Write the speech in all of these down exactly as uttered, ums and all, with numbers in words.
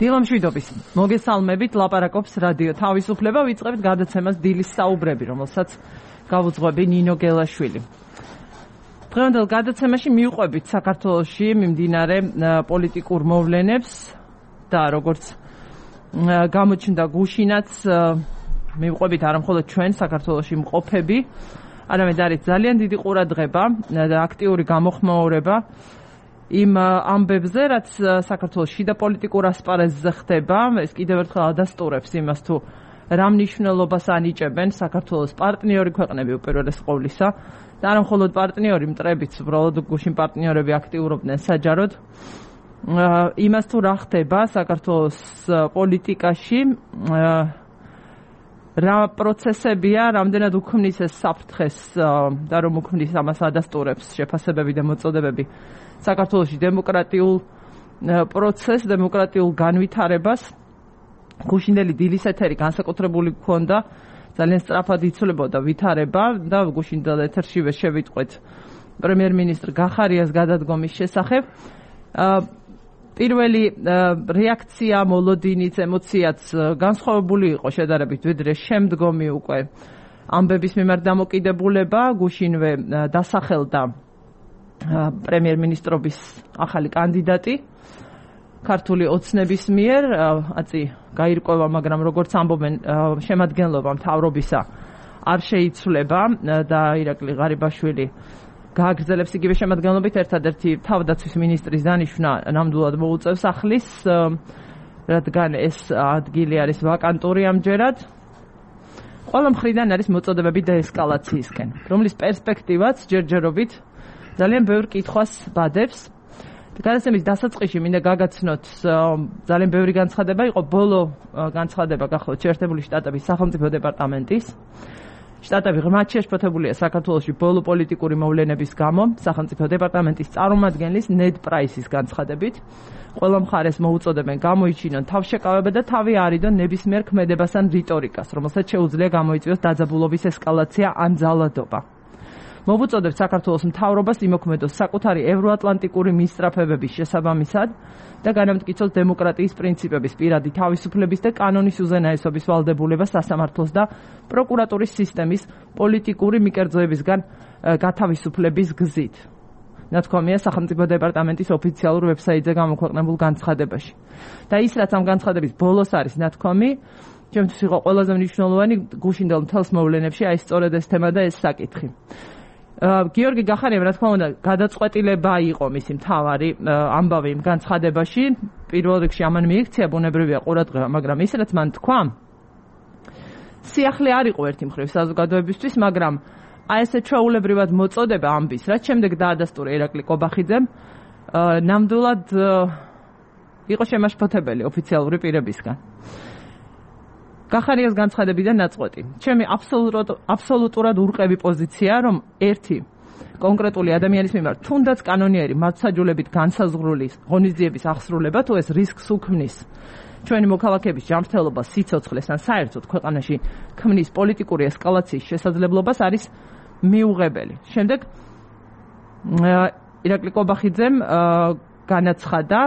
დილამშვიდობის მოგესალმებით, ლაპარაკობს რადიო თავისუფლება, ვიწყებთ გადაცემას დილის საუბრები, რომელსაც გავუძღვები ნინო გელაშვილი. დღევანდელ გადაცემაში მივყვებით საქართველოში მიმდინარე პოლიტიკურ მოვლენებს და როგორც გამოჩნდა გუშინაც მივყვებით არა მხოლოდ ჩვენ საქართველოში მყოფები, არამედ არის ძალიან დიდი ყურადღება და აქტიური გამოხმაურება იმ ამბებზე, რაც საქართველოს შიდა პოლიტიკურ ასპარეზზე ხდება, ეს კიდევ ერთხელ ადასტურებს იმას, თუ რა მნიშვნელობას ანიჭებენ საქართველოს პარტნიორი ქვეყნები უპირველეს ყოვლისა და არა მხოლოდ პარტნიორი, მტრებიც, უბრალოდ გუშინ პარტნიორები აქტიურობდნენ საჯაროდ იმას, თუ რა ხდება საქართველოს პოლიტიკაში, რა პროცესებია, რამდენად უქმნის ეს საფრთხეს და რომ უქმნის ამას ადასტურებს შეფასებები და მოწოდებები საქართველოში დემოკრატიულ პროცესს, დემოკრატიულ განვითარებას. გუშინდელი დილის ეთერი განსაკუთრებული გქონდა, ძალიან სწრაფად იცვლებოდა ვითარება და გუშინდელ ეთერშივე შევიტყვეთ პრემიერ-მინისტრ გახარიას გადადგომის შესახებ. პირველი რეაქცია, მოლოდინიც, ემოციაც განსხვავებული იყო შედარებით, ვიდრე შემდგომი უკვე ამბების მიმართ დამოკიდებულება. გუშინვე დასახელდა პრემიერ-მინისტრობის ახალი კანდიდატი ქართული ოცნების მიერ, აწი გაირკვევა, მაგრამ როგორც ამბობენ, შემადგენლობა მთავრობისა არ შეიცვლება და ირაკლი ღარიბაშვილი გააგრძელებს იგივე შემადგენლობით. ერთადერთი თავდაცვის მინისტრის დანიშვნა ნამდვილად მოუწევს ახლის, რადგან ეს ადგილი არის ვაკანტური ამჯერად. ყველა მხრიდან არის მოწოდებები დაესკალაციისკენ, რომლის პერსპექტივაც ჯერჯერობით ძალიან ბევრ კითხვას ბადებს. გადაცემის დასაწყისში მინდა გაგაცნოთ, ძალიან ბევრი განცხადება იყო, ბოლო განცხადება გახლავთ შეერთებული შტატების სახელმწიფო დეპარტამენტის. შტატები ღრმად შეშფოთებულია საქართველოში ბოლო პოლიტიკური მოვლენების გამო, სახელმწიფო დეპარტამენტის წარმომადგენლის ნედ პრაისის განცხადებით. ყველა მხარეს მოუწოდებენ გამოიჩინონ თავშეკავება და თავი არიდონ ნებისმიერ ქმედებას ან რიტორიკას, რომელსაც შეუძლია გამოიწვიოს დაძაბულობის ესკალაცია ან ძალადობა. მოვუწოდებთ საქართველოს მთავრობას იმოქმედოს საკუთარი ევროატლანტიკური მისწრაფებების შესაბამისად და განამტკიცოს დემოკრატიის პრინციპების, პირადი თავისუფლების და კანონის უზენაესობის ვალდებულება სასამართლოს და პროკურატურის სისტემის პოლიტიკური მიკერძოებისგან გათავისუფლების გზით. ნათქვამია სახელმწიფო დეპარტამენტის ოფიციალურ ვებსაიტზე გამოქვეყნებულ განცხადებაში. და ის, რაც ამ განცხადების ბოლოს არის ნათქვამი, ჩემთვის იყო ყველაზე მნიშვნელოვანი გუშინდელ მთელს მოვლენებში, აი სწორედ ეს თემა და ეს საკითხი. გიორგი გახარიამ, რა თქმა უნდა, გადაწყვეტილება იყო მისი მთავარი ამბავი იმ განცხადებაში. პირველ რიგში ამან მიიქცია ბუნებრივია ყურადღება, მაგრამ ის, რაც მან თქვა, სიახლე არ იყო ერთი მხრივ საზოგადოებისთვის, მაგრამ აი ესე ჩვეულებრივად მოწოდება ამბის, რაც შემდეგ დაადასტურა ირაკლი კობახიძემ, ნამდვილად იყო შემაშფოთებელი ოფიციალური პირებისგან. გახარიას განცხადებიდან ნაწყვეტი. ჩემი აბსოლუტურად აბსოლუტურად ურყევი პოზიცია, რომ ერთი კონკრეტული ადამიანის მიმართ თუნდაც კანონიერი მართლმსაჯულებით განსაზღვრული ღონისძიების აღსრულება, თუ ეს რისკს უქმნის ჩვენი მოქალაქეების ჯანმრთელობას, სიცოცხლეს ან საერთოდ ქვეყანაში ქმნის პოლიტიკური ესკალაციის შესაძლებლობას, არის მიუღებელი. შემდეგ ირაკლი კობახიძემ განაცხადა,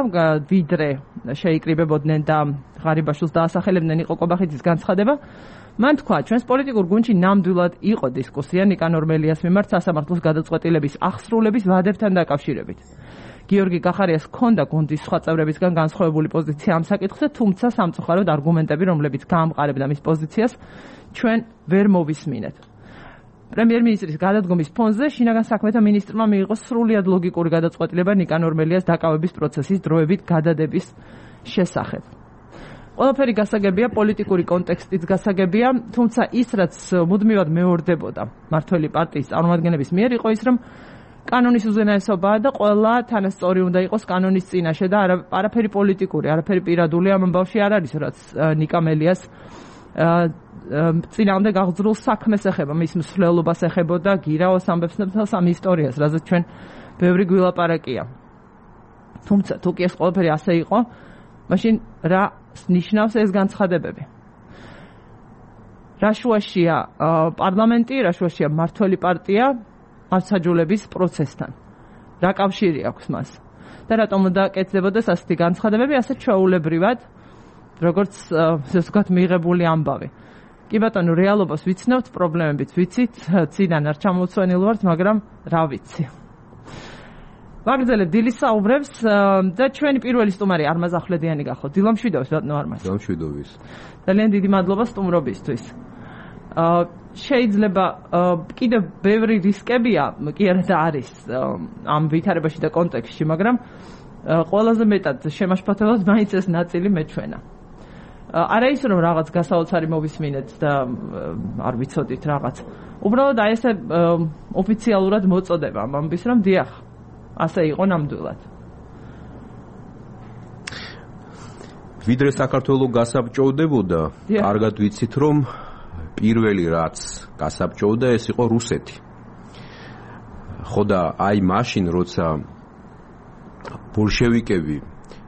ვიდრე შეიკრიბებოდნენ და ღარიბაშვილს დაასახელებდნენ, იყო კობახიძის განცხადება. მან თქვა, ჩვენს პოლიტიკურ გუნდში ნამდვილად იყო დისკუსია ნიკანორ მელიას მიმართ სასამართლოს გადაწყვეტილების აღსრულების ვადებთან დაკავშირებით. გიორგი გახარიას ჰქონდა გუნდის სხვა წევრებისგან განსხვავებული პოზიცია ამ საკითხზე, თუმცა სამწუხაროდ არგუმენტები, რომლებიც გაამყარებდა მის პოზიციას, ჩვენ ვერ მოვისმინეთ. პრემიერ-მინისტრის გადადგომის ფონზე შინაგან საქმეთა მინისტრმა მიიღო სრულიად ლოგიკური გადაწყვეტილება ნიკანორ მელიას დაკავების პროცესის დროებით გადადების შესახებ. ყველაფერი გასაგებია, პოლიტიკური კონტექსტიც გასაგებია, თუმცა ის, რაც მუდმივად მეორდებოდა მმართველი პარტიის წარმომადგენლების მიერ, იყო ის, რომ კანონის უზენაესობაა და ყველა თანასწორი უნდა იყოს კანონის წინაშე და არაფერი პოლიტიკური, არაფერი პირადული ამ ამბავში არ არის, რაც ნიკა მელიას წინამდე გაღწრულ საქმეს ეხება, მის მსვლელობას ეხებოდა, გირაოს ამბებს და სამ ისტორიას, რაზეც ჩვენ ბევრი გვილაპარაკია. თუმცა თუ კი ეს ყველაფერი ასე იყო, მაშინ რა ნიშნავს ეს განცხადებები? რა შუაშია პარლამენტი, რა შუაშია მმართველი პარტია მართლმსაჯულების პროცესთან? რა კავშირი აქვს მას? და რატომ უნდა კეთდებოდეს ასეთი განცხადებები, ასე ჩვეულებრივად როგორც ესე ვთქვათ მიღებული ამბავი. კი ბატონო, რეალობას ვიცნობთ, პრობლემებიც ვიცით, ციდან არ ჩამოვცვენილ ვართ, მაგრამ რა ვიცი. ვაგრძელებ დილის საუბრებს და ჩვენი პირველი სტუმარი არმაზ ახვლედიანი გახოთ. დილამშვიდობს ბატონო არმაზ. დილამშვიდობის. ძალიან დიდი მადლობა სტუმრობისთვის. შეიძლება კიდევ ბევრი რისკებია, კი არა და არის ამ ვითარებაში და კონტექსტში, მაგრამ ყველაზე მეტად შემაშფოთებელად მაინც ეს ნაწილი მეჩვენა. არა ის რომ რაღაც გასაოცარი მოვისმინეთ და არ ვიცოდით რაღაც. უბრალოდ აი ესე ოფიციალურად მოწოდება ამ ამბის რომ დიახ, ასე იყო ნამდვილად. ვიდრე საქართველოს გასაბჭოვდებოდა, კარგად ვიცით რომ პირველი რაც გასაბჭოვდა ეს იყო რუსეთი. ხო და აი მაშინ როცა ბოლშევიკები,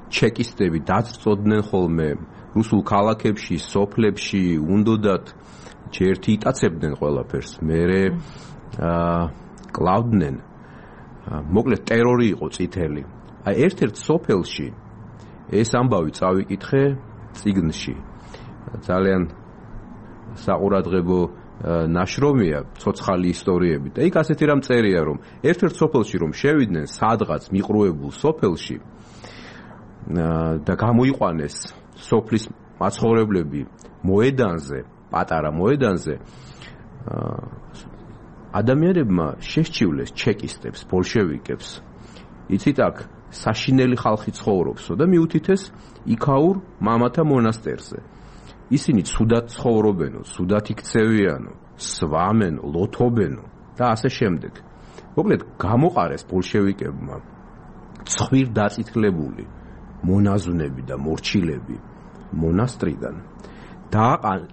ჩეკისტები დაწწოდნენ ხოლმე რუსულ ქალაქებში, სოფლებში, უნდოდათ ჯერთი იტაცებდნენ ყველაფერს, მერე კლავდნენ. მოკლედ ტერორი იყო წითელი. აი ერთ-ერთ სოფელში ეს ამბავი წავიკითხე წიგნში. ძალიან საყურადღებო ნაშრომია, ცოცხალი ისტორიები. და იქ ასეთი რამ წერია, რომ ერთ-ერთ სოფელში რომ შევიდნენ სადღაც მიყრუებულ სოფელში და გამოიყვანეს სოფლის მაცხოვრებლები მოედანზე, პატარა მოედანზე, ადამიანებმა შესჩივლეს ჩეკისტებს, ბოლშევიკებს. იცით აქ საშინელი ხალხი ცხოვრობსო და მიუთითეს იქაურ მამათა მონასტერზე. ისინი ცუდად ცხოვრობენო, ცუდად იქცევიანო, სვამენო, ლოთობენო და ასე შემდეგ. მოკლედ გამოყარეს ბოლშევიკებმა ცხვირ დაწითლებული მონაზვნები და მორჩილები მონასტრიდან.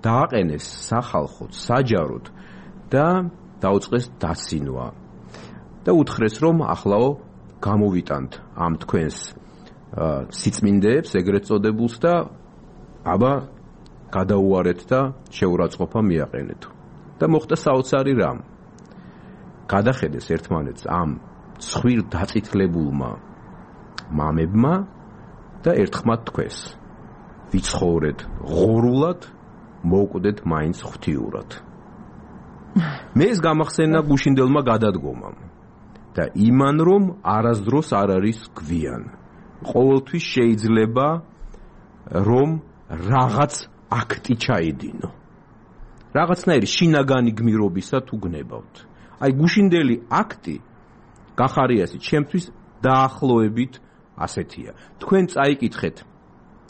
დააყენეს სახალხოდ, საჯაროდ და დაუწყეს დაცინვა. და უთხრეს რომ ახლაო გამოვიტანთ ამ თქვენს სიწმინდეებს, ეგრეთ წოდებულს და აბა გადაუარეთ და შეურაცხყოფა მიაყენეთ. და მოხდა საოცარი რამ. გადახედეს ერთმანეთს ამ ცხვირ დაწითლებულმა მამებმა და ერთხმად თქვეს: ვიცხოვრეთ ღორულად, მოვკვდეთ მაინც ღვთიურად. მე ეს გამახსენა გუშინდელმა გადადგომამ და იმან რომ არასდროს არ არის გვიან. ყოველთვის შეიძლება რომ რაღაც აქტი ჩაიდინო. რაღაცნაირი შინაგანი გმირობისა თუ გნებავთ. აი გუშინდელი აქტი გახარიასი ჩემთვის დაახლოებით ასეთია. თქვენ წაიკითხეთ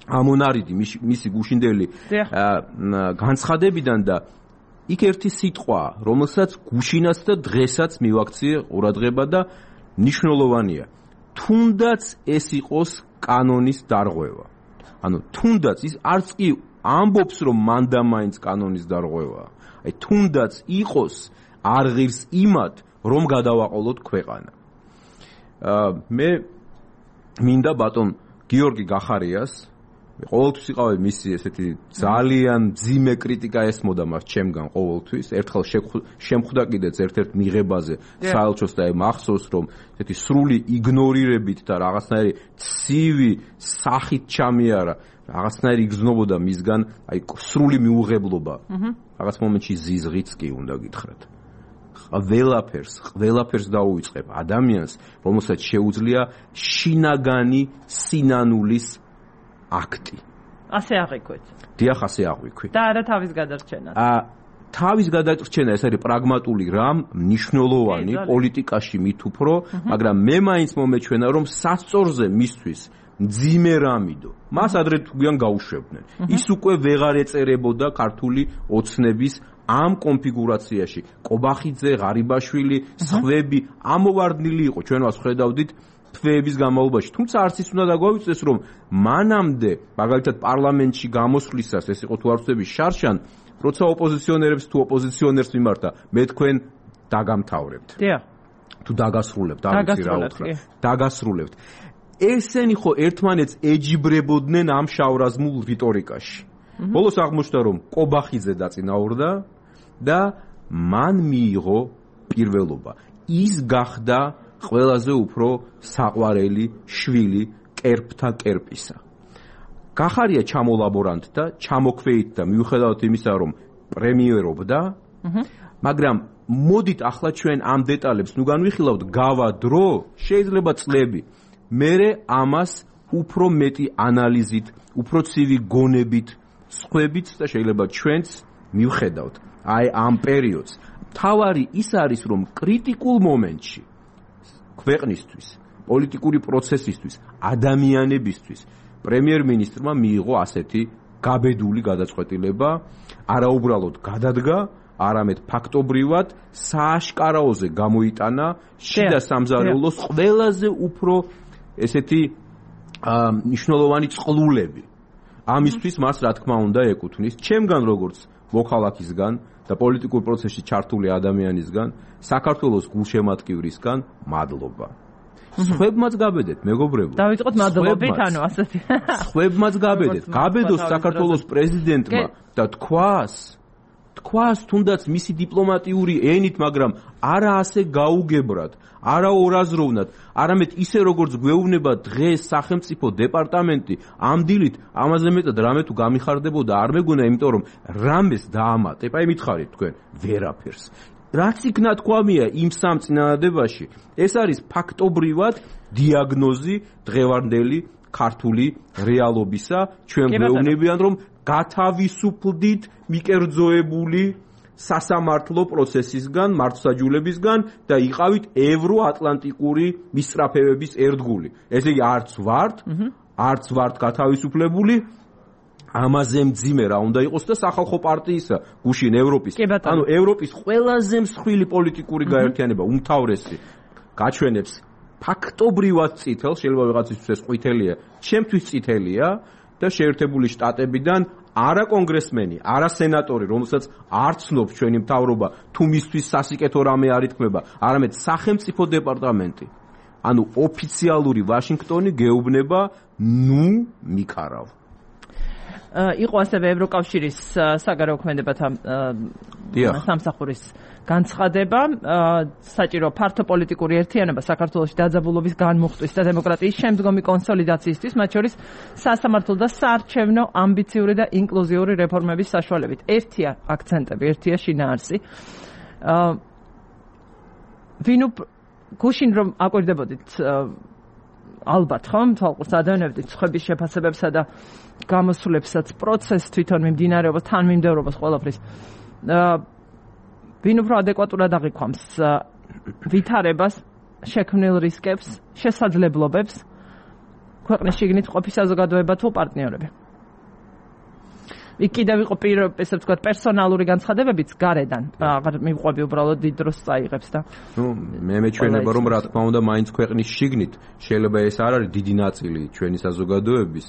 ამონარიდი მისი გუშინდელი განცხადებიდან და იქ ერთი სიტყვა, რომელსაც გუშინაც და დღესაც მივაქციე ყურადღება და მნიშვნელოვანია. თუნდაც ეს იყოს კანონის დარღვევა. ანუ თუნდაც ის არც კი ამბობს რომ მანდა მაინც კანონის დარღვევაა. აი თუნდაც იყოს არ ღირს იმად რომ გადავაყოლოთ ქვეყანა. მე მინდა ბატონ გიორგი გახარიას ყოველთვის იყავი მისი ესეთი ძალიან მძიმე კრიტიკა ესმოდა მას ჩემგან ყოველთვის. ერთხელ შემხვდა კიდეც ერთ-ერთ მიღებაზე საელჩოს და მახსოვს რომ ესეთი სრული იგნორირებით და რაღაცნაირი ცივი სახით ჩამიარა, რაღაცნაირი იგრძნობოდა მისგან აი სრული მიუღებლობა. რაღაც მომენტში ზიზღიც კი უნდა გითხრათ. ყველაფერს, ყველაფერს დაუვიწყებ ადამიანს, რომელსაც შეუძლია შინაგანი სინანულის აქტი. ასე აღიქვით. დიახ, ასე აღიქვით. და არა თავის გადარჩენას. აა თავის გადარჩენა ეს არის პრაგმატული რამ, მნიშვნელოვანი პოლიტიკაში მით უფრო, მაგრამ მე მაინც მომეჩვენა რომ სასწორზე მისთვის მძიმე რამიდო. მას ადრე თუგიან გაუშვებდნენ. ის უკვე ვეღარ ეწერებოდა ქართული ოცნების ამ კონფიგურაციაში. კობახიძე, ღარიბაშვილი, სხვები ამოვარდნილი იყო. ჩვენ მას ხედავდით თვეების განმავლობაში. თუმცა არც ის უნდა დაგვავიწყდეს რომ მანამდე, მაგალითად პარლამენტში გამოსვლისას, ეს იყო თუ არ ვწდები შარშან, როცა ოპოზიციონერებს თუ ოპოზიციონერს მიმართა, მე თქვენ დაგამთავრებთ. დიახ. თუ დაგასრულებთ, არ ვიცი რა უთხრა. დაგასრულებთ. ესენი ხო ერთმანეთს ეჯიბრებოდნენ ამ შავრაზმულ რიტორიკაში. ბოლოს აღმოჩნდა რომ კობახიძე დაწინაურდა და მან მიიღო პირველობა. ის გახდა ყველაზე უფრო საყვარელი შვილი კერპთა კერპისა. გახარია ჩამოლაბორანტ და ჩამოქვეით და მიუხედავად იმისა, რომ პრემიერობდა, მაგრამ მოდით ახლა ჩვენ ამ დეტალებს ნუ განვიხილავთ გავა დრო, შეიძლება წლები. მერე ამას უფრო მეტი ანალიზით, უფრო ცივი გონებით, სხვებით და შეიძლება ჩვენც მივხედავთ. აი ამ პერიოდს. თავარი ის არის, რომ კრიტიკულ მომენტში ქვეყნისთვის, პოლიტიკური პროცესისთვის, ადამიანებისთვის პრემიერ-მინისტრმა მიიღო ასეთი გაბედული გადაწყვეტილება, არაუბრალოდ გადადგა, არამედ ფაქტობრივად სააშკარაოზე გამოიტანა შიდა სამზარეულოს ყველაზე უფრო ესეთი მნიშვნელოვანი წყლულები. ამისთვის მას რა თქმა უნდა ეკუთვნის ჩემგან როგორც მოქალაქისგან და პოლიტიკურ პროცესში ჩართული ადამიანისგან, საქართველოს გულშემატკივრისგან მადლობა. სხვებმაც გაბედეთ, მეგობრებო. დავიწყოთ მადლობით, ანუ ასეთი. სხვებმაც გაბედეთ. გაბედოს საქართველოს პრეზიდენტმა და თქვას, თქვას თუნდაც მისი დიპლომატიური ენით, მაგრამ არა ასე გაუგებრად, არა ორაზროვნად, არამედ ისე როგორც გვეუბნება დღეს სახელმწიფო დეპარტამენტი ამ დილით, ამაზე მეტად რამე თუ გამიხარდებოდა არ მეგონა, იმიტომ რომ რამეს დაამატებ, აი მითხარით თქვენ, ვერაფერს. რაც იქნა თქვამია იმ სამ წინადადებაში, ეს არის ფაქტობრივად დიაგნოზი დღევანდელი ქართული რეალობისა, ჩვენ გვეუბნებიან რომ გათავისუფლდით მიკერძოებული სასამართლო პროცესისგან, მართლმსაჯულებისგან და იყავით ევროატლანტიკური მისწრაფებების ერთგული. ესე იგი არც ვართ, არც ვართ გათავისუფლებული, ამაზე მძიმე რა უნდა იყოს და სახალხო პარტიისა გუშინ ევროპის, ანუ ევროპის ყველაზე მსხვილი პოლიტიკური გაერთიანება, უმთავრესი გაჩვენებს ფაქტობრივად წითელს, შეიძლება ვიღაცისთვის ეს ყვითელია, ჩემთვის წითელია და შეერთებული შტატებიდან არა კონგრესმენი, არა სენატორი, რომელსაც არ ცნობს ჩვენი მთავრობა, თუ მისთვის სასიკეთო რამე არ ითქმება, არამედ სახელმწიფო დეპარტამენტი. ანუ ოფიციალური ვაშინგტონი გეუბნება, ნუ მიქარავ. იყო ასევე ევროკავშირის საგარეო ქმედებათა სამსახურის განცხადება, საჭირო ფართო პოლიტიკური ერთიანობა საქართველოში დაძაბულობის განმუხტვის და დემოკრატიის შემდგომი კონსოლიდაციისთვის, მათ შორის სასამართლო და საარჩევნო ამბიციური და ინკლუზიური რეფორმების საშუალებით. ერთია აქცენტები, ერთია შინაარსი. ვინ გუშინ რომ აკვირდებოდით ალბათ ხომ თვალყურს ადევნებდით სხვების შეფასებებსა და გამოსვლებსაც, პროცესს თვითონ მიმდინარეობას, თანმიმდევრობას ყველაფრის. ვინ უფრო ადეკვატურად აღიქვამს ვითარებას, შექმნილ რისკებს, შესაძლებლობებს, ქვეყნის შიგნით ყოფის საზოგადოება თუ პარტნიორები. იქ კიდევ იყო ესე ვთქვათ პერსონალური განცხადებებიც გარედან. აღარ მივყვები უბრალოდ დიდ დროს წაიღებს და. ნუ მე მეჩვენება რომ რა თქმა უნდა მაინც ქვეყნის შიგნით შეიძლება ეს არ არის დიდი ნაწილი ჩვენი საზოგადოების,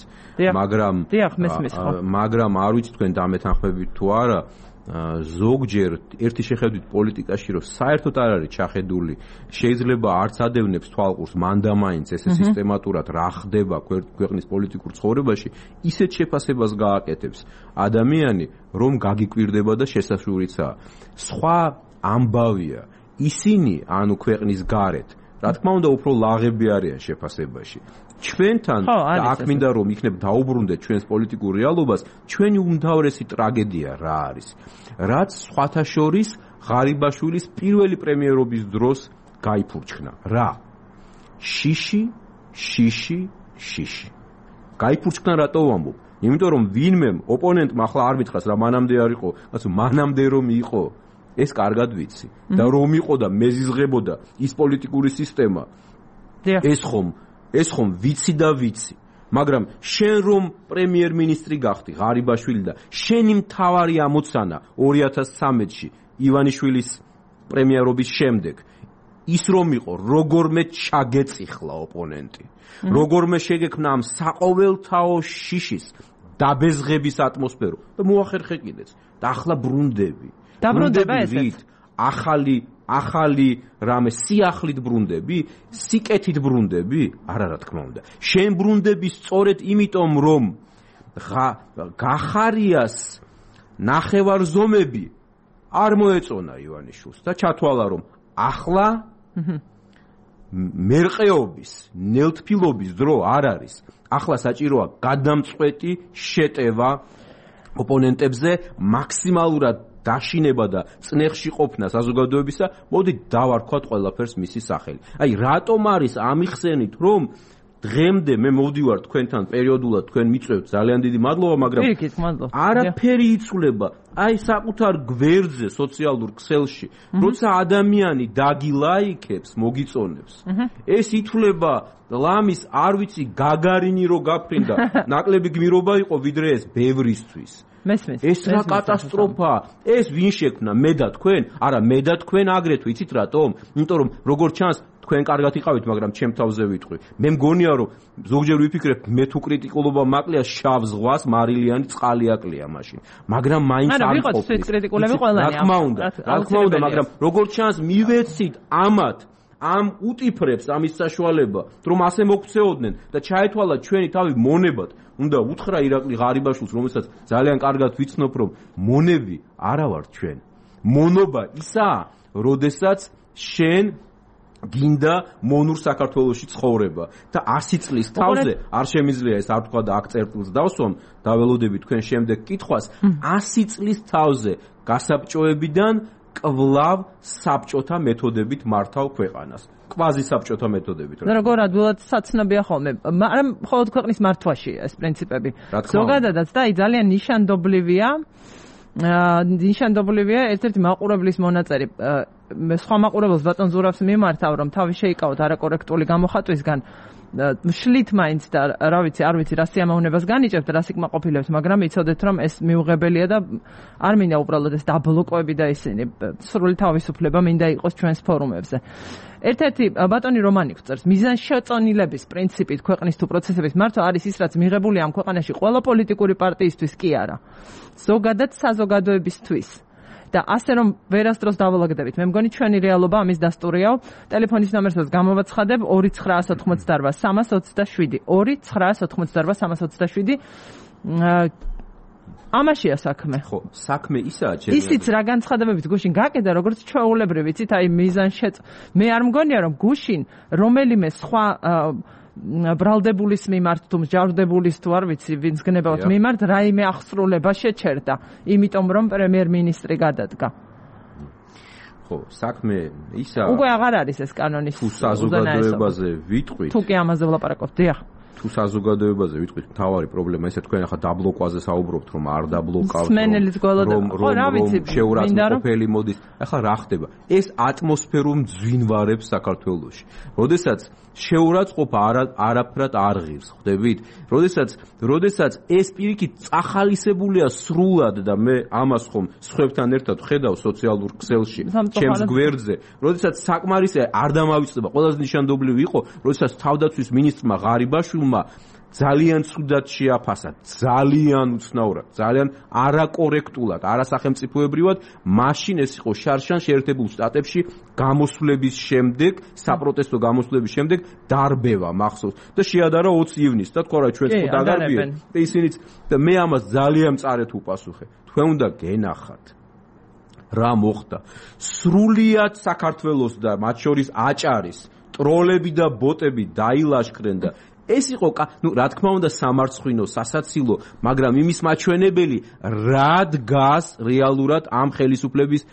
მაგრამ მაგრამ არ ვიცი თქვენ დამეთანხმებით თუ არა, ზოგჯერ ერთი შეხედვით პოლიტიკაში რომ საერთოდ არ არის ჩახედული, შეიძლება არც ადევნებს თვალყურს მანდა მაინც ესე სისტემატურად რა ხდება ქვეყნის პოლიტიკურ ცხოვრებაში, ისეთ შეფასებას გააკეთებს ადამიანი, რომ გაგიკვირდება და შესაშურიცაა. სხვა ამბავია, ისინი ანუ ქვეყნის გარეთ, რა თქმა უნდა უფრო ლაღები არიან შეფასებაში. ჩვენთან და აქ მინდა რომ იქნებ დაუბრუნდეთ ჩვენს პოლიტიკურ რეალობას, ჩვენი უმთავრესი ტრაგედია რა არის? რაც სხვათა შორის ღარიბაშვილის პირველი პრემიერობის დროს გაიფურჩქნა. რა? შიში, შიში, შიში. გაიფურჩქნა რატო ვამბობ? იმიტომ რომ ვინმე ოპონენტმა ახლა არ მითხრას რა მანამდე არ იყო, ასე მანამდე რომ იყო, ეს კარგად ვიცი. და რომ იყო და მეზიზღებოდა ის პოლიტიკური სისტემა. ეს ხომ ეს ხომ ვიცი და ვიცი, მაგრამ შენ რომ პრემიერ-მინისტრი გახდი, ღარიბაშვილი და შენი მთავარი ამოცანა ორი ათას ცხრამეტში ივანიშვილის პრემიერობის შემდეგ ის რომ იყო, როგორმე ჩაგეწიხლა ოპონენტი, როგორმე შეგექმნა ამ საყოველთაო შიშის დაბეზღების ატმოსფერო და მოახერხე კიდეც და ახლა ბრუნდები. დაბრუნდება ესეც. ახალი ახალი რამე სიახლით ბრუნდები, სიკეთით ბრუნდები? არა რა თქმა უნდა. შენ ბრუნდები სწორედ იმიტომ, რომ გახარიას ნახევარზომები არ მოეწონა ივანიშვილს და ჩათვალა, რომ ახლა მერყეობის, ნელთფილობის დრო არ არის. ახლა საჭიროა გადამწყვეტი შეტევა ოპონენტებზე, მაქსიმალურად დაშინება და წნეხში ყოფნა საზოგადოებისა. მოდით დავარქვათ ყველაფერს მისი სახელი. აი, რატომ არის ამიხსენით, რომ დღემდე მე მოვდივარ თქვენთან პერიოდულად, თქვენ მიწვევთ, ძალიან დიდი მადლობა, მაგრამ არაფერი იცვლება. აი, საკუთარ გვერდზე, სოციალურ ქსელში, როცა ადამიანი დაგილაიქებს, მოგიწონებს, ეს ითვლება ლამის, არ ვიცი, გაგარინი რო გაფრინდა, ნაკლები გმირობა იყო, ვიდრე ეს ბევრისთვის. ეს რა კატასტროფაა. ეს ვინ შექმნა? მე და თქვენ? არა, მე და თქვენ აგრეთვე, იცით რატომ? იმიტომ რომ როგორც ჩანს თქვენ კარგად იყავით, მაგრამ ჩემ თავზე ვიტყვი. მე მგონია რომ ზოგჯერ ვიფიქრებ, მე თუ კრიტიკულობა მაკლია, შავ ზღვას მარილიანი წყალი აკლია მაშინ. მაგრამ მაინც არ ყოფილი. არა, ვიყოთ კრიტიკულები ყველანი. რა თქმა უნდა, რა თქმა უნდა, მაგრამ როგორც ჩანს მივეცით ამათ ამ უტიფრებს ამის საშუალება, რომ ასე მოქცეოდნენ და ჩაეთვალა ჩვენი თავი მონებად. უნდა უთხრა ირაკლი ღარიბაშვილს, რომელსაც ძალიან კარგად ვიცნობ, რომ მონები არა ვარ ჩვენ. მონობა ისაა, როდესაც შენ გინდა მონურ საქართველოში ცხოვრება და ასი წლის თავზე არ შემიძლია ეს არ თქვა და აქ წერტილს დავსვამ, დაველოდები თქვენ შემდეგ კითხვას, ასი წლის თავზე გასაბჭოებიდან კვლავ საბჭოთა მეთოდებით მართავ ქვეყანას. კვაზი საბჭოთა მეთოდებით. როგორ ადვილად საცნობია ხოლმე, მაგრამ მხოლოდ ქვეყნის მართვაში ეს პრინციპები. ზოგადადაც და აი ძალიან ნიშანდობლივია, ნიშანდობლივია ერთ-ერთი მაყურებლის მონაწერი. სხვა მაყურებელს ბატონ ზურაბს მიმართავ, რომ თავი შეიკავოთ არაკორექტული გამოხატვისგან. შლით მაინც და რა ვიცი, არ ვიცი, რა სიამოვნებას განიჭებთ, რა სიკმაყოფილებს, მაგრამ იცოდეთ, რომ ეს მიუღებელია და არ მინდა უბრალოდ ეს დაბლოკოები და ისინი სრული თავისუფლება მინდა იყოს ჩვენს ფორუმებზე. ერთ-ერთი ბატონი რომანი გვწერს, მიზანშეწონილების პრინციპით ქვეყნის თუ პროცესების მართვა არის ის, რაც მიღებულია ამ ქვეყანაში ყველა პოლიტიკური პარტიისთვის კი არა. ზოგადად საზოგადოებისთვის. და ასე რომ ვერასდროს დავალაგდებით. მე მგონი ჩვენი რეალობა ამის დასტურიაო. ტელეფონის ნომერსაც გამოვაცხადებ ორი ცხრაას ოთხმოცდაარბა სამას ოცდაშვიდი ორი ცხრაას ოთხმოცდაარბა სამას ოცდაშვიდი. ამაშია საქმე. ხო, საქმე ისაა ჩემი. ისიც რა განცხადებებით გუშინ გაკედა, როგორც ჩვეულებრივი, იცით, აი მიზანშეწ. მე არ მგონია რომ გუშინ რომელიმე სხვა ბრალდებულის მიმართ თუ მსჯავრდებულის თუ არ ვიცი ვინც გნებავთ მიმართ რაიმე აღსრულება შეჩერდა, იმიტომ რომ პრემიერ-მინისტრი გადადგა. ხო, საქმე ისა უკვე აღარ არის ეს კანონის თუ საზოგადოებაზე ვიტყვით. თუ კი ამაზე ვლაპარაკობთ, დიახ. თუ საზოგადოებაზე ვიტყვით, მთავარი პრობლემა ისე თქვენ ახლა დაბლოკვაზე საუბრობთ, რომ არ დაბლოკავთ, რომ ხო, რა ვიცი, შეურაცხმყოფელი მოდის. ახლა რა ხდება? ეს ატმოსფერო მძვინვარებს საქართველოში. როდესაც შეურაცხყოფა არაფრად არ ღირს, ხვდებით? როდესაც როდესაც ეს პირიქით წახალისებულია სრულად და მე ამას ხომ სხვებთან ერთად ხედავ სოციალურ ქსელში, ჩემს გვერდზე, როდესაც საკმარისია არ დამავიწყდება, ყველაზე ნიშანდობლივი იყო, როდესაც თავდაცვის მინისტრმა ღარიბაშვილმა ძალიან ცუდად შეაფასა, ძალიან უცნაურად, ძალიან არაკორექტულად, არასახელმწიფოებრივად, მაშინ ეს იყო შარშან შეერთებულ შტატებში გამოსვლების შემდეგ, საპროტესტო გამოსვლების შემდეგ დარბევა მახსოვს და შეადარა ოცი ივნისს და თქვა რა ჩვენც ხო დაგარბიეთ და ისინიც და მე ამას ძალიან მწარეთ უპასუხე. თქვენ უნდა გენახათ რა მოხდა. სრულიად საქართველოს და მათ შორის აჭარის ტროლები და ბოტები დაილაშქრენ და ეს იყო, ну, რა თქმა უნდა, სამარცხვინო, სასაცილო, მაგრამ იმის მაჩვენებელი რა დგას რეალურად ამ ხელისუფლების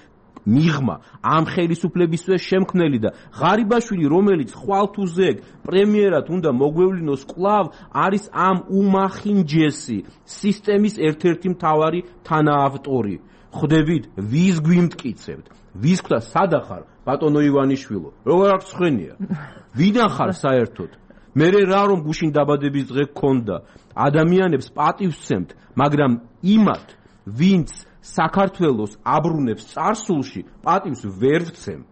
მიღმა, ამ ხელისუფლებისთვის შემქმნელი და ღარიბაშვილი, რომელიც ხვალთუზეგ პრემიერად უნდა მოგვევლინოს კვლავ, არის ამ უმახინჯესი სისტემის ერთ-ერთი მთავარი თანაავტორი. ხვდებით, ვის გვიმტკიცებთ? ვის გვთა სადახარ, ბატონო ივანიშვილო? როგორ აქვს ხვენია? ვიდან ხარ საერთოდ? მე რა რომ გუშინ დაბადების დღე გქონდა, ადამიანებს პატივს ვცემთ, მაგრამ იმათ, ვინც საქართველოს აბრუნებს წარსულში, პატივს ვერ ვცემ.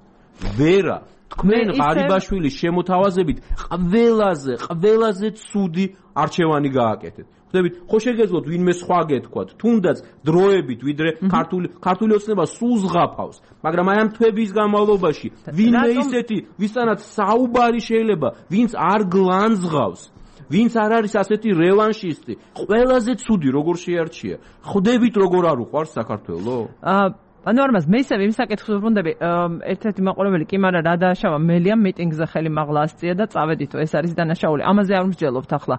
ვერა, თქვენ ღარიბაშვილის შემოთავაზებით ყველაზე, ყველაზე ცუდი არჩევანი გააკეთეთ. ხვდებით, ხო შეგეძლოთ ვინმე სხვა გეთქვათ, თუნდაც დროებით, ვიდრე ქართული ქართული ოცნება სულ ზღაფავს, მაგრამ აი ამ თვეების განმავლობაში ვინმე ისეთი, ვისთანაც საუბარი შეიძლება, ვინც არ გლანძღავს, ვინც არ არის ასეთი რევანშისტი, ყველაზე ცუდი როგორ შეარჩია. ხვდებით როგორ არ უყვარს საქართველო? ანუ არ მას მე ისევ იმ საკითხს ვბრუნდები, ერთ-ერთი მაყურებელი კი, მაგრამ რა დააშავა მელიამ მიტინგზე ხელი მაღლა ასწია და წავედითო, ეს არის დანაშაული. ამაზე არ მსჯელობთ ახლა.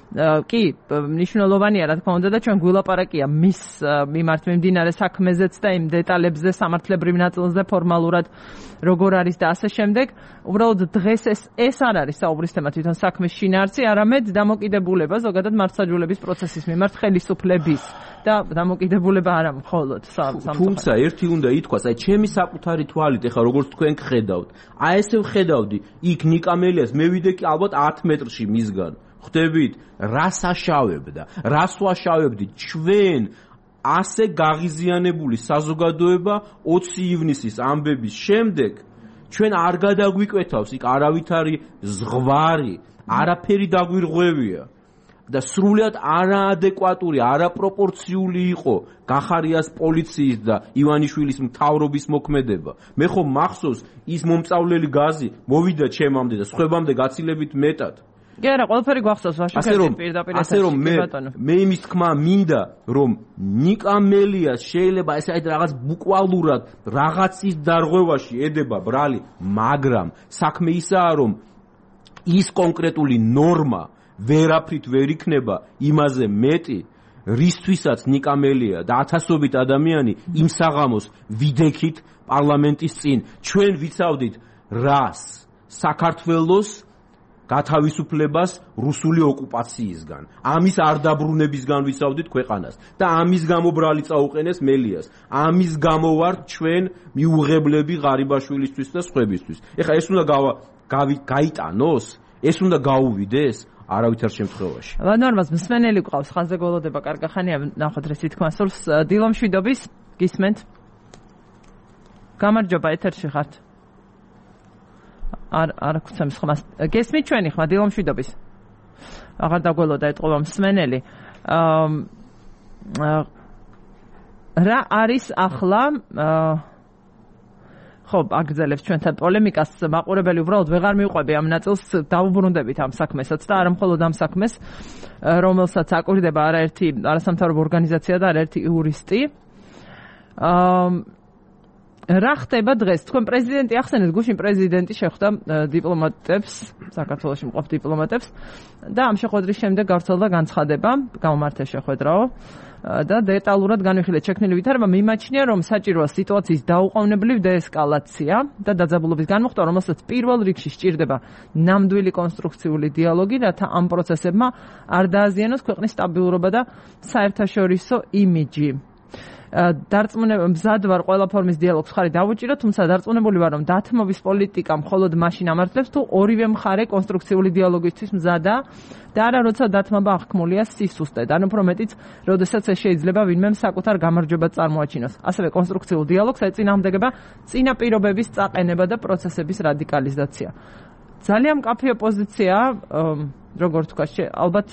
კი, მნიშვნელოვანია რა თქმა უნდა და ჩვენ გვილაპარაკია მის მიმართ მიმდინარე საქმეზეც და იმ დეტალებზე სამართლებრივ ნაწილზე ფორმალურად როგორ არის და ასე შემდეგ. უბრალოდ დღეს ეს ეს არ არის საუბრის თემა თვითონ საქმის შინაარსი, არამედ დამოკიდებულება ზოგადად მართლმსაჯულების პროცესის მიმართ ხელისუფლების და დამოკიდებულება არა მხოლოდ სამწუხაროდ. თუმცა ერთი უნდა ითქვას, აი ჩემი საკუთარი თვალით ეხლა როგორც თქვენ გხედავთ, აი ესე ვხედავდი, იქ ნიკამელიას მე ვიდექი ალბათ ათ მეტრში მისგან. ხვდებით, რას აშავებდა, რას ვაშავებდი ჩვენ ასე გაღიზიანებული საზოგადოება ოცი ივნისის ამბების შემდეგ ჩვენ არ გადაგვიკვეთავს იქ არავითარი ზღვარი, არაფერი დაგვირღვევია და სრულად არაადეკვატური, არაპროპორციული იყო გახარიას პოლიციის და ივანიშვილის მთავრობის მოქმედება. მე ხომ მახსოვს ის მომწავლელი გაზი მოვიდა ჩემამდე და სხვებამდე გაცილებით მეტად. კი არა, ყველაფერი გვახსოვს ვაშინგტონის პირდაპირ ასე რომ მე მე იმის თქმა მინდა რომ ნიკამელიას შეიძლება ესე აი რაღაც ბუკვალურად რაღაცის დარღვევაში ედება ბრალი, მაგრამ საქმე ისაა რომ ის კონკრეტული ნორმა ვერაფრით ვერ იქნება იმაზე მეტი რისთვისაც ნიკამელია და ათასობით ადამიანი იმ საღამოს ვიდექით პარლამენტის წინ ჩვენ ვიცავდით რას საქართველოს გათავისუფლებას რუსული ოკუპაციისგან. ამის არ დაბრუნებისგან ვიცავდით ქვეყანას და ამის გამო ბრალი წაუყენეს მელიას. ამის გამო ვარ ჩვენ მიუღებლები ღარიბაშვილისთვის და სხვებისთვის. ეხლა ეს უნდა გაიტანოს, ეს უნდა გაუვიდეს არავითარ შემთხვევაში. ნორმას მსმენელი გვყავს, ხანზე გველოდება კარგახანია, ნახოთ რისი თქვა სულს. დილომშვიდობის, გისმენთ? გამარჯობა, ეთერში ხართ. არ არ გვცემს ხმას. გესმით ჩვენი ხმა დილომშვიდობის? აღარ დაგველოდა ეტყობა მსმენელი. რა არის ახლა ხო, აგრძელებს ჩვენთან პოლემიკას, მაყურებელი უბრალოდ ვეღარ მიუყვები ამ ნაწილს, დაუბრუნდებით ამ საქმესაც და არა მხოლოდ ამ საქმეს, რომელსაც აკვირდება არაერთი არასამთავრობო ორგანიზაცია და არაერთი იურისტი. აა რა ხდება დღეს? თქვენ პრეზიდენტი ახსენეთ, გუშინ პრეზიდენტი შეხვდა დიპლომატებს, საქართველოში მყოფ დიპლომატებს და ამ შეხვედრის შემდეგ გავრცელდა განცხადება, გამომართეს შეხვედრაო და დეტალურად განვიხილეთ შექმნილი ვითარება, მიმაჩნია, რომ საჭიროა სიტუაციის დაუყოვნებლივ დეესკალაცია და დაძაბულობის განმუხტვა, რომელსაც პირველ რიგში სჭირდება ნამდვილი კონსტრუქციული დიალოგი, რათა ამ პროცესებმა არ დააზიანოს ქვეყნის სტაბილურობა და საერთაშორისო იმიჯი. დარწმუნება მზად ვარ ყველა ფორმის დიალოგს ხარი დავუჭირო, თუმცა დარწმუნებული ვარ, რომ დათმობის პოლიტიკა მხოლოდ მაშინ ამართლებს, თუ ორივე მხარე კონსტრუქციული დიალოგისთვის მზადაა და არა როცა დათმობა აღქმულია სისუსტედ, ან უფრო მეტიც, როდესაც ეს შეიძლება ვინმემ საკუთარ გამარჯვებას წარმოაჩინოს. ასევე კონსტრუქციულ დიალოგს ეწინააღმდეგება წინა პირობების წაყენება და პროცესების რადიკალიზაცია. ძალიან მკაფიო პოზიციაა, როგორ თქვა, ალბათ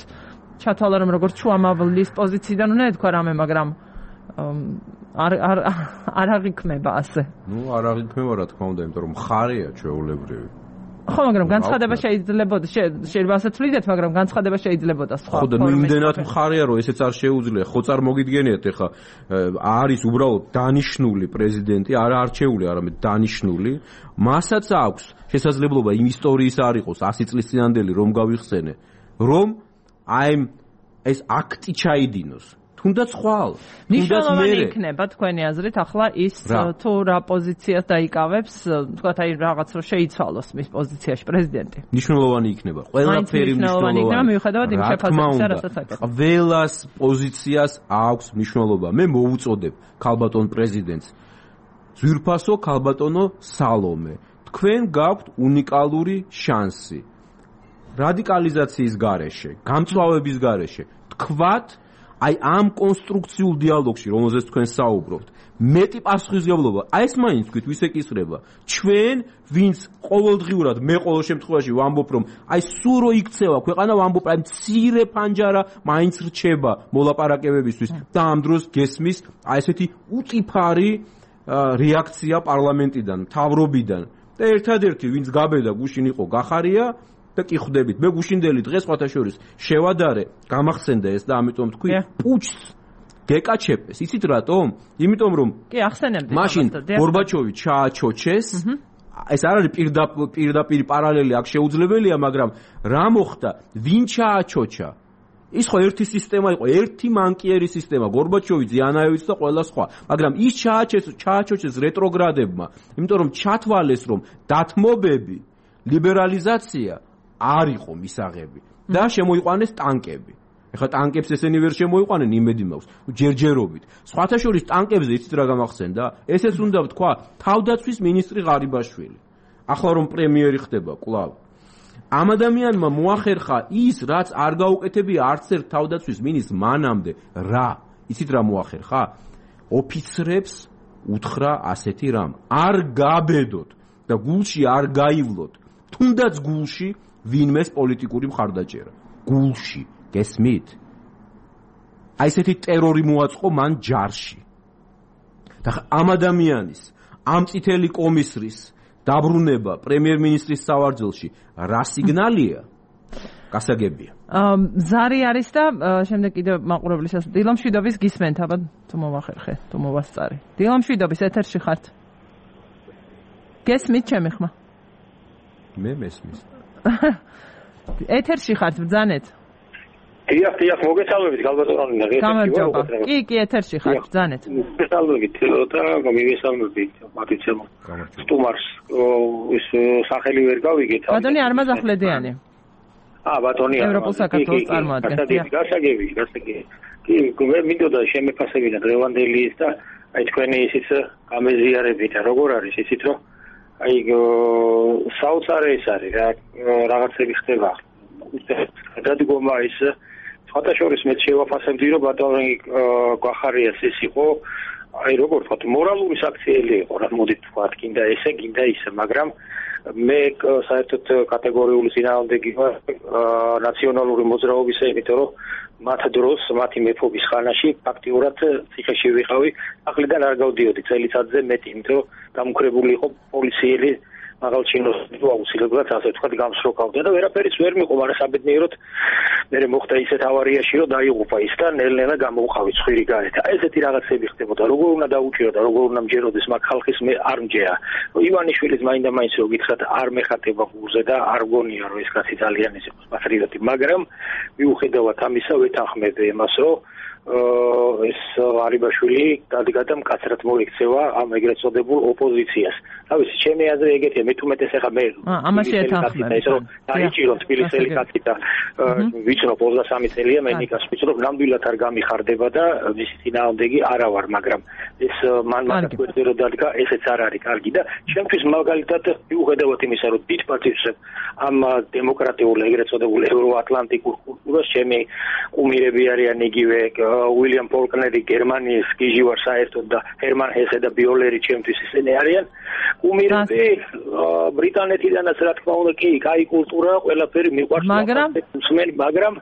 ჩათვალა, რომ როგორც შუამავლის პოზიციიდან უნდა ეთქვა რამე, მაგრამ არ არ არ აღიქმება ასე. ნუ არ აღიქმება რა თქმა უნდა, იმიტომ რომ მხარეა ჩვეულებრივი. ხო, მაგრამ განცხადება შეიძლებოდა, შეიძლება ასე ვთვლიდეთ, მაგრამ განცხადება შეიძლებოდა სხვა. ხო და ნუ იმდენად მხარეა, რომ ესეც არ შეუძლია. ხო წარმოგიდგენიათ, ეხა არის უბრალოდ დანიშნული პრეზიდენტი, არა არჩეული, არამედ დანიშნული. მასაც აქვს შესაძლებლობა იმ ისტორიის არ იყოს ასი წლის წინანდელი რომ გავიხსენე, რომ აი ეს აქტი ჩაიდინოს. თუნდაც ხვალ, თუნდაც მე იქნება თქვენი აზრით ახლა ის თუ რა პოზიციას დაიკავებს, თქვათ აი რაღაც რომ შეიცვალოს მის პოზიციაში პრეზიდენტი. მნიშვნელოვანი იქნება. ყველაფერი მნიშვნელოვანი იქნება, მიუხედავად იმ შეფასებისა, რასაც აკეთებს. ყველას პოზიციას აქვს მნიშვნელობა. მე მოუწოდებ ქალბატონ პრეზიდენტს ძვირფასო ქალბატონო სალომე. თქვენ გაქვთ უნიკალური შანსი. რადიკალიზაციის გარეშე, გამწვავების გარეშე, თქვათ აი ამ კონსტრუქციულ დიალოგში, რომელზეც თქვენ საუბრობთ, მეტი პასუხისმგებლობა, აი ეს მაინც თქვით, ვის ეკისრება? ჩვენ, ვინც ყოველდღიურად მე ყოველ შემთხვევაში ვამბობ, რომ აი სულ რო იქცევა ქვეყანა, ვამბობ, აი მცირე ფანჯარა მაინც რჩება მოლაპარაკებებისთვის და ამ დროს გესმის აი ესეთი უწიფარი რეაქცია პარლამენტიდან, მთავრობიდან. და ერთადერთი, ვინც გაბედა გუშინ იყო გახარია და კი ხვდებით, მე გუშინდელი დღეს სხვათა შორის შევადარე, გამახსენდა ეს და ამიტომ თქვი, პუჩს გეკაჩეპეს. იცით რატომ? იმიტომ რომ კი ახსენებდი მაშინ გორბაჩოვი ჩააჩოჩეს. ეს არ არის პირდაპირ პარალელი აქ შეუძლებელია, მაგრამ რა მოხდა? ვინ ჩააჩოჩა? ის ხო ერთი სისტემა იყო, ერთი მანკიერი სისტემა, გორბაჩოვი, ზიანაევიც და ყველა სხვა. მაგრამ ის ჩააჩეს, ჩააჩოჩეს რეტროგრადებმა, იმიტომ რომ ჩათვალეს, რომ დათმობები, ლიბერალიზაცია არ იყო მისაღები და შემოიყვანეს ტანკები. ეხლა ტანკებს ესენი ვერ შემოიყვანენ, იმედი მაქვს, ჯერჯერობით. სხვათა შორის ტანკებზე იცით რა გამახსენდა? ესეც უნდა ვთქვა, თავდაცვის მინისტრი ღარიბაშვილი. ახლა რომ პრემიერი ხდება კვლავ. ამ ადამიანმა მოახერხა ის, რაც არ გაუკეთებია არც ერთ თავდაცვის მინისტრს მანამდე. რა? იცით რა მოახერხა? ოფიცრებს უთხრა ასეთი რამ: არ გაბედოთ და გულში არ გაივლოთ, თუნდაც გულში ვინმეს პოლიტიკური მხარდაჭერა. გულში, გესმით? აი ესეთი ტერორი მოაწყო მან ჯარში. და ამ ადამიანის, ამ წითელი კომისრის დაბრუნება პრემიერ-მინისტრის სავარძელში რა სიგნალია? გასაგებია. ზარი არის და შემდეგ კიდევ მაყურებლის ასე დილამშვიდობის გისმენთ, აბა თუ მოვახერხე, თუ მოვასწარი. დილამშვიდობის ეთერში ხართ. გესმით ჩემი ხმა? მე მესმის. ეთერში ხართ, ბრძანეთ. დიახ, დიახ, მოგესალმებით, გალბატონი, გამარჯობა. კი, კი, ეთერში ხართ, ბრძანეთ. მოგესალმებით და მოგესალმებით, მათიცემ. სტუმარს ის სახელი ვერ გავიგეთ. ბატონი არმაზახლედიანი. აა, ბატონი ევროპულ საქართველოს წარმოადგენს. გასაგები, გასაგები. კი, მე მინდოდა შემეფასებინა დღევანდელი ის და აი თქვენი ისიც გამეზიარებით, როგორ არის ისიც რომ აი საოცარი ის არის რა, რაღაცები ხდება. გადადგომა ის სხვათა შორის მე შევაფასებდი რომ ბატონი გვახარიას ის იყო აი როგორ ვთქვათ მორალური საქციელი იყო რა მოდით ვთქვათ კიდე ესე კიდე ისე მაგრამ მე საერთოდ კატეგორიული წინააღმდეგი ვარ ნაციონალური მოძრაობისა იმიტომ რომ მათ დროს მათი მეფობის ხანაში ფაქტიურად ციხეში ვიყავი ახლიდან არ გავდიოდი წელიწადზე მეტი იმიტომ რომ დამუქრებული იყო პოლიციელი მაღალჩინოს აუცილებლად ასე ვთქვათ გამსროქავდა და ვერაფერიც ვერ მიყო, მაგრამ საბედნიეროდ მე მოხდა ისეთ ავარიაში, რომ დაიღუპა ის და ნელ-ნელა გამოვყავი ცხვირი გარეთ. აი ესეთი რაღაცები ხდებოდა. როგორ უნდა დაუჭირო და როგორ უნდა მჯეროდეს მაგ ხალხის მე არ მჯერა. ივანიშვილის მაინდა-მაინც რო გითხრათ არ მეხატება გულზე და არ გონია რომ ეს კაცი ძალიან ის იყოს პატრიოტი, მაგრამ მიუხედავად ამისა ვეთანხმები იმას, რომ ეს ღარიბაშვილი დადგა და მკაცრად მოიქცევა ამ ეგრეთ წოდებულ ოპოზიციას. რა ვიცი, ჩემი აზრი ეგეთია, მე თუმეტეს ახლა მე ამაში ეთანხმები. ეს რომ დაიჭირო თბილისელი კაცი და ვიცნობ ოცდასამი წელია მე ნიკას ვიცნობ, ნამდვილად არ გამიხარდება და მისი წინააღმდეგი არა ვარ, მაგრამ ეს მან მაგათ გვერდზე რომ დადგა, ესეც არ არის კარგი და ჩემთვის მაგალითად მიუხედავად იმისა, რომ დიდ პატივს ამ დემოკრატიულ ეგრეთ წოდებულ ევროატლანტიკურ კულტურას ჩემი კუმირები არიან იგივე უილიამ ფოლკნერი გერმანიის გიჟი ვარ საერთოდ და ჰერმან ჰესე და ბიოლერი ჩემთვის ისინი არიან კუმირები ბრიტანეთიდანაც რა თქმა უნდა კი კაი კულტურა ყველაფერი მიყვარს მაგრამ მაგრამ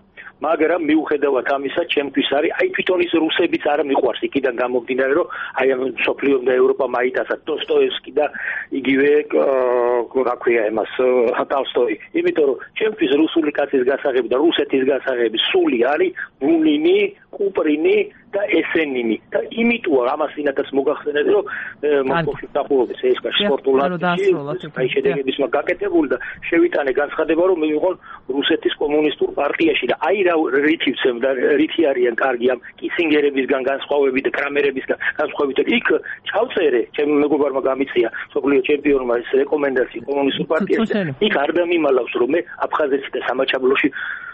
მაგრამ მიუხედავად ამისა ჩემთვის არის აი თვითონ ის რუსებიც არ მიყვარს იქიდან გამომდინარე რომ აი ამ სოფლიო და ევროპა მაიტასაც დოსტოევსკი და იგივე რა ქვია იმას ტოლსტოი იმიტომ რომ ჩემთვის რუსული კაცის გასაღები და რუსეთის გასაღები სული არის ბუნინი კუპრინი და ესენინი და იმიტოა ამას ინადაც მოგახსენეთ რომ მოსკოვში დახურობის ეს სპორტულადში აი შედეგების მაგაკეთებული და შევიტანე განცხადება რომ მე ვიყო რუსეთის კომუნისტურ პარტიაში და აი რა რითივცემ და რითი არიან კარგი ამ კისინგერებისგან განსხვავებით და კრამერებისგან განსხვავებით იქ ჩავწერე ჩემი მეგობარმა გამიწია სოფლიო ჩემპიონმა ეს რეკომენდაცია კომუნისტურ პარტიაში იქ არ დამიმალავს რომ მე აფხაზეთში და სამაჩაბლოში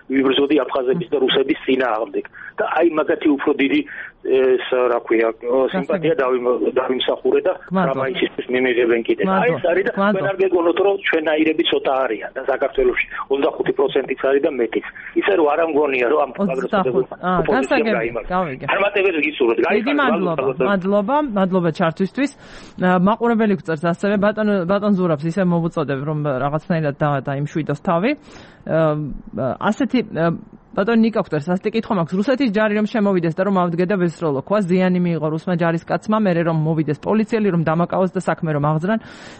ვიბრძოდი აფხაზების და რუსების წინააღმდეგ და აი მაგათი უფრო დიდი ეს რა ქვია სიმპათია დავიმსახურე და რამაისისთვის მიმიღებენ კიდე აი ეს არის და თქვენ არ გეგონოთ რომ ჩვენაირები ცოტა არიან და საქართველოში ოცდახუთი პროცენტიც არის და მეტიც ისე რომ არ ამგონია რომ ამ გასაგებია დიდი მადლობა მადლობა მადლობა ჩართვისთვის მაყურებელი გვწერს ასევე ბატონ ბატონ ზურაბს ისე მოვუწოდებ რომ რაღაცნაირად დაიმშვიდოს თავი ასეთი ბატონო ნიკოფტერ, სასტიკი კითხვა მაქვს. რუსეთის ჯარი რომ შემოვიდეს და რომ ავდგე და ვესროლო, ქვა ზიანი მიიღო რუსმა ჯარისკაცმა, მერე რომ მოვიდეს პოლიციელი, რომ დამაკავოს და საქმე რომ აღძრან,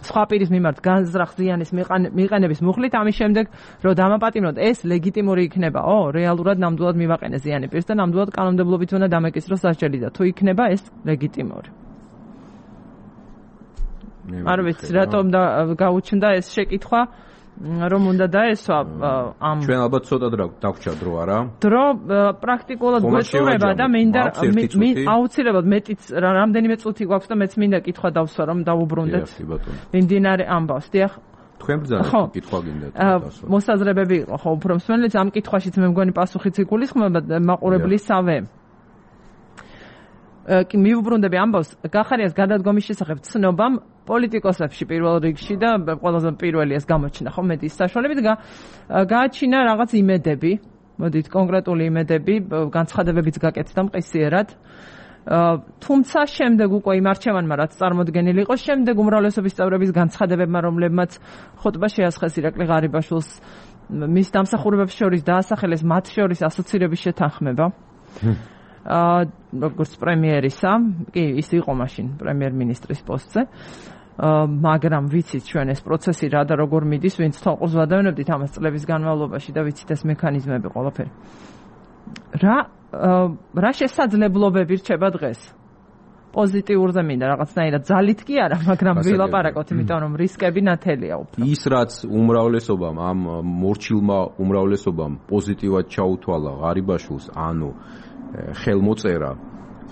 სხვა პირის მიმართ განზრახ ზიანის მიყენების მუხლით, ამის შემდეგ რომ დამაპატიმროთ, ეს ლეგიტიმური იქნება?ო, რეალურად ნამდვილად მივაყენე ზიანი პირს და ნამდვილად კანონმდებლობით უნდა დამეკისროს სასჯელი და თუ იქნება ეს ლეგიტიმური. არ ვიცი, რატომ და გაუჩნდა ეს შეკითხვა. რომ უნდა დაესვა ამ ჩვენ ალბათ ცოტა დაგვრჩა დრო არა? დრო პრაქტიკულად გვეწურება და მინდა აუცილებლად მეტიც რამდენიმე წუთი გვაქვს და მეც მინდა კითხვა დავსვა რომ დავუბრუნდეთ. მიმდინარე ამბავს. დიახ. თქვენ ბრძანეთ კითხვა გინდათ დავსვა. მოსაზრებები იყო ხო უფრო მსმენელიც ამ კითხვაშიც მე მგონი პასუხიც იგულისხმება მაყურებლისავე. კი მივუბრუნდები ამბავს გახარიას გადადგომის შესახებ ცნობამ პოლიტიკოსებში პირველ რიგში და ყველაზე პირველი ეს გამოჩნდა ხო მედიის საშუალებით გააჩინა რაღაც იმედები, მოდით კონკრეტული იმედები, განცხადებებიც გაკეთდა მყისიერად. თუმცა შემდეგ უკვე იმ არჩევანმა რაც წარმოდგენილი იყო, შემდეგ უმრავლესობის წევრების განცხადებებმა, რომლებმაც ხოტბა შეასხეს ირაკლი ღარიბაშვილს მის დამსახურებებს შორის დაასახელეს მათ შორის ასოცირების შეთანხმება. აა როგორც პრემიერისა, კი, ის იყო მაშინ პრემიერ-მინისტრის პოსტზე. აა მაგრამ ვიცით ჩვენ ეს პროცესი რა და როგორ მიდის, ვინც თვალყურს ვადევნებდით ამას წლების განმავლობაში და ვიცით ეს მექანიზმები ყველაფერი. რა რა შესაძლებლობები რჩება დღეს? პოზიტიურზე მინდა რაღაცნაირად ძალით კი არა, მაგრამ ვილაპარაკოთ, იმიტომ რომ რისკები ნათელია უფრო. ის რაც უმრავლესობამ ამ მორჩილმა უმრავლესობამ პოზიტიურად ჩაუთვალა ღარიბაშვილს, ანუ ხელმოწერა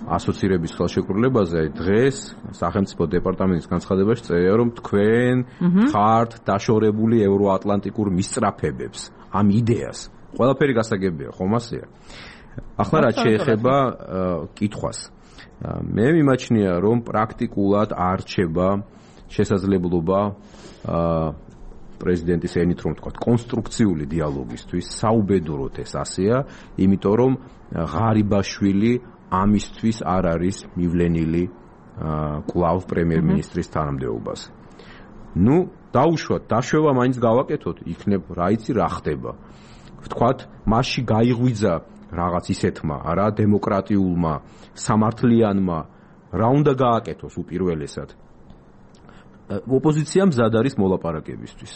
ასოცირების ხელშეკრულებაზე, დღეს სახელმწიფო დეპარტამენტის განცხადებაში წერია, რომ თქვენ ხართ დაშორებული ევროატლანტიკურ მისწრაფებებს, ამ იდეას. ყველაფერი გასაგებია, ხომ ასეა? ახლა რაც შეეხება კითხვას. მე მიმაჩნია, რომ პრაქტიკულად არ რჩება შესაძლებლობა პრეზიდენტის ენით რომ თქვა კონსტრუქციული დიალოგისთვის, საუბედუროთ ეს ასეა, იმიტომ რომ ღარიბაშვილი ამისთვის არ არის მივლენილი კვლავ პრემიერ-მინისტრის თანამდებობაზე. ნუ დაუშვათ, დაშვება მაინც გავაკეთოთ, იქნებ რა იცი რა ხდება. ვთქვათ, მასში გაიღვიძა რაღაც ისეთმა, არა დემოკრატიულმა, სამართლიანმა, რა უნდა გააკეთოს უპირველესად. ოპოზიცია მზად არის მოლაპარაკებისთვის.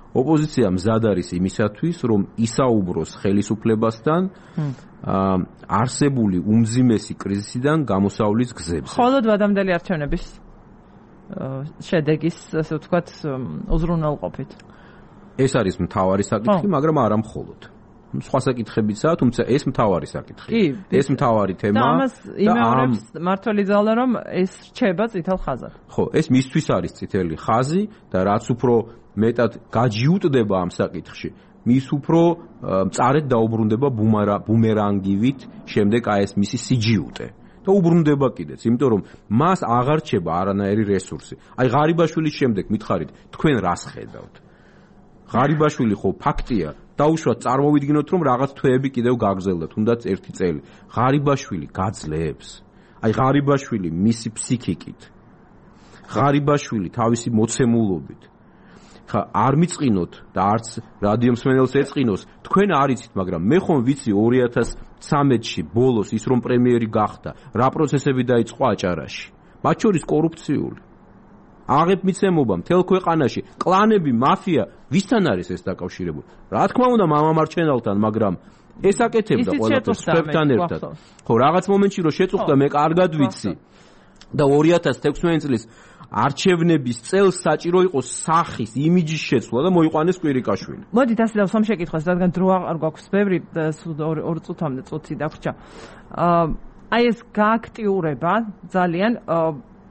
ოპოზიცია მზად არის იმისათვის, რომ ისაუბროს ხელისუფლებასთან არსებული უმძიმესი კრიზისიდან გამოსავლის გზებზე. მხოლოდ ვადამდელი არჩევნების შედეგის, ასე ვთქვათ, უზრუნველყოფით. ეს არის მთავარი საკითხი, მაგრამ არა მხოლოდ. სხვა საკითხებიცაა, თუმცა ეს მთავარი საკითხი. ეს მთავარი თემა და ამას იმეორებს მართალი ძალა, რომ ეს რჩება წითელ ხაზად. ხო, ეს მისთვის არის წითელი ხაზი და რაც უფრო მეტად გაჯიუტდება ამ საკითხში, მის უფრო მწარედ დაუბრუნდება ბუმერანგივით შემდეგ აი ეს მისი სიჯიუტე. და უბრუნდება კიდეც, იმიტომ რომ მას აღარ რჩება არანაირი რესურსი. აი ღარიბაშვილის შემდეგ მითხარით, თქვენ რას ხედავთ? ღარიბაშვილი ხო ფაქტია, დაუშვათ წარმოვიდგინოთ, რომ რაღაც თვეები კიდევ გაგრძელდა, თუნდაც ერთი წელი. ღარიბაშვილი გაძლებს. აი ღარიბაშვილი მისი ფსიქიკით. ღარიბაშვილი თავისი მოცემულობით. ხა არ მიწყინოთ და არც რადიო მსმენელს ეწყინოს, თქვენ არიცით, მაგრამ მე ხომ ვიცი ორი ათას ცხრამეტში ბოლოს ის რომ პრემიერი გახდა, რა პროცესები დაიწყო აჭარაში. მათ შორის კორუფციული. აღებ მიცემობა მთელ ქვეყანაში, კლანები, მაფია, ვისთან არის ეს დაკავშირებული? რა თქმა უნდა, მამამარჩენელთან, მაგრამ ეს აკეთებდა ყველაფერს სხვებთან ერთად. ხო, რაღაც მომენტში რომ შეწუხდა, მე კარგად ვიცი. და ორი ათას თექვსმეტი წლის არჩევნების წელს საჭირო იყო სახის, იმიჯის შეცვლა და მოიყვანეს კვირიკაშვილი. მოდით ასე დავსვამ შეკითხვას, რადგან დრო არ გვაქვს ბევრი, ორ წუთამდე წუთი დაგვჭა. აი ეს გააქტიურება ძალიან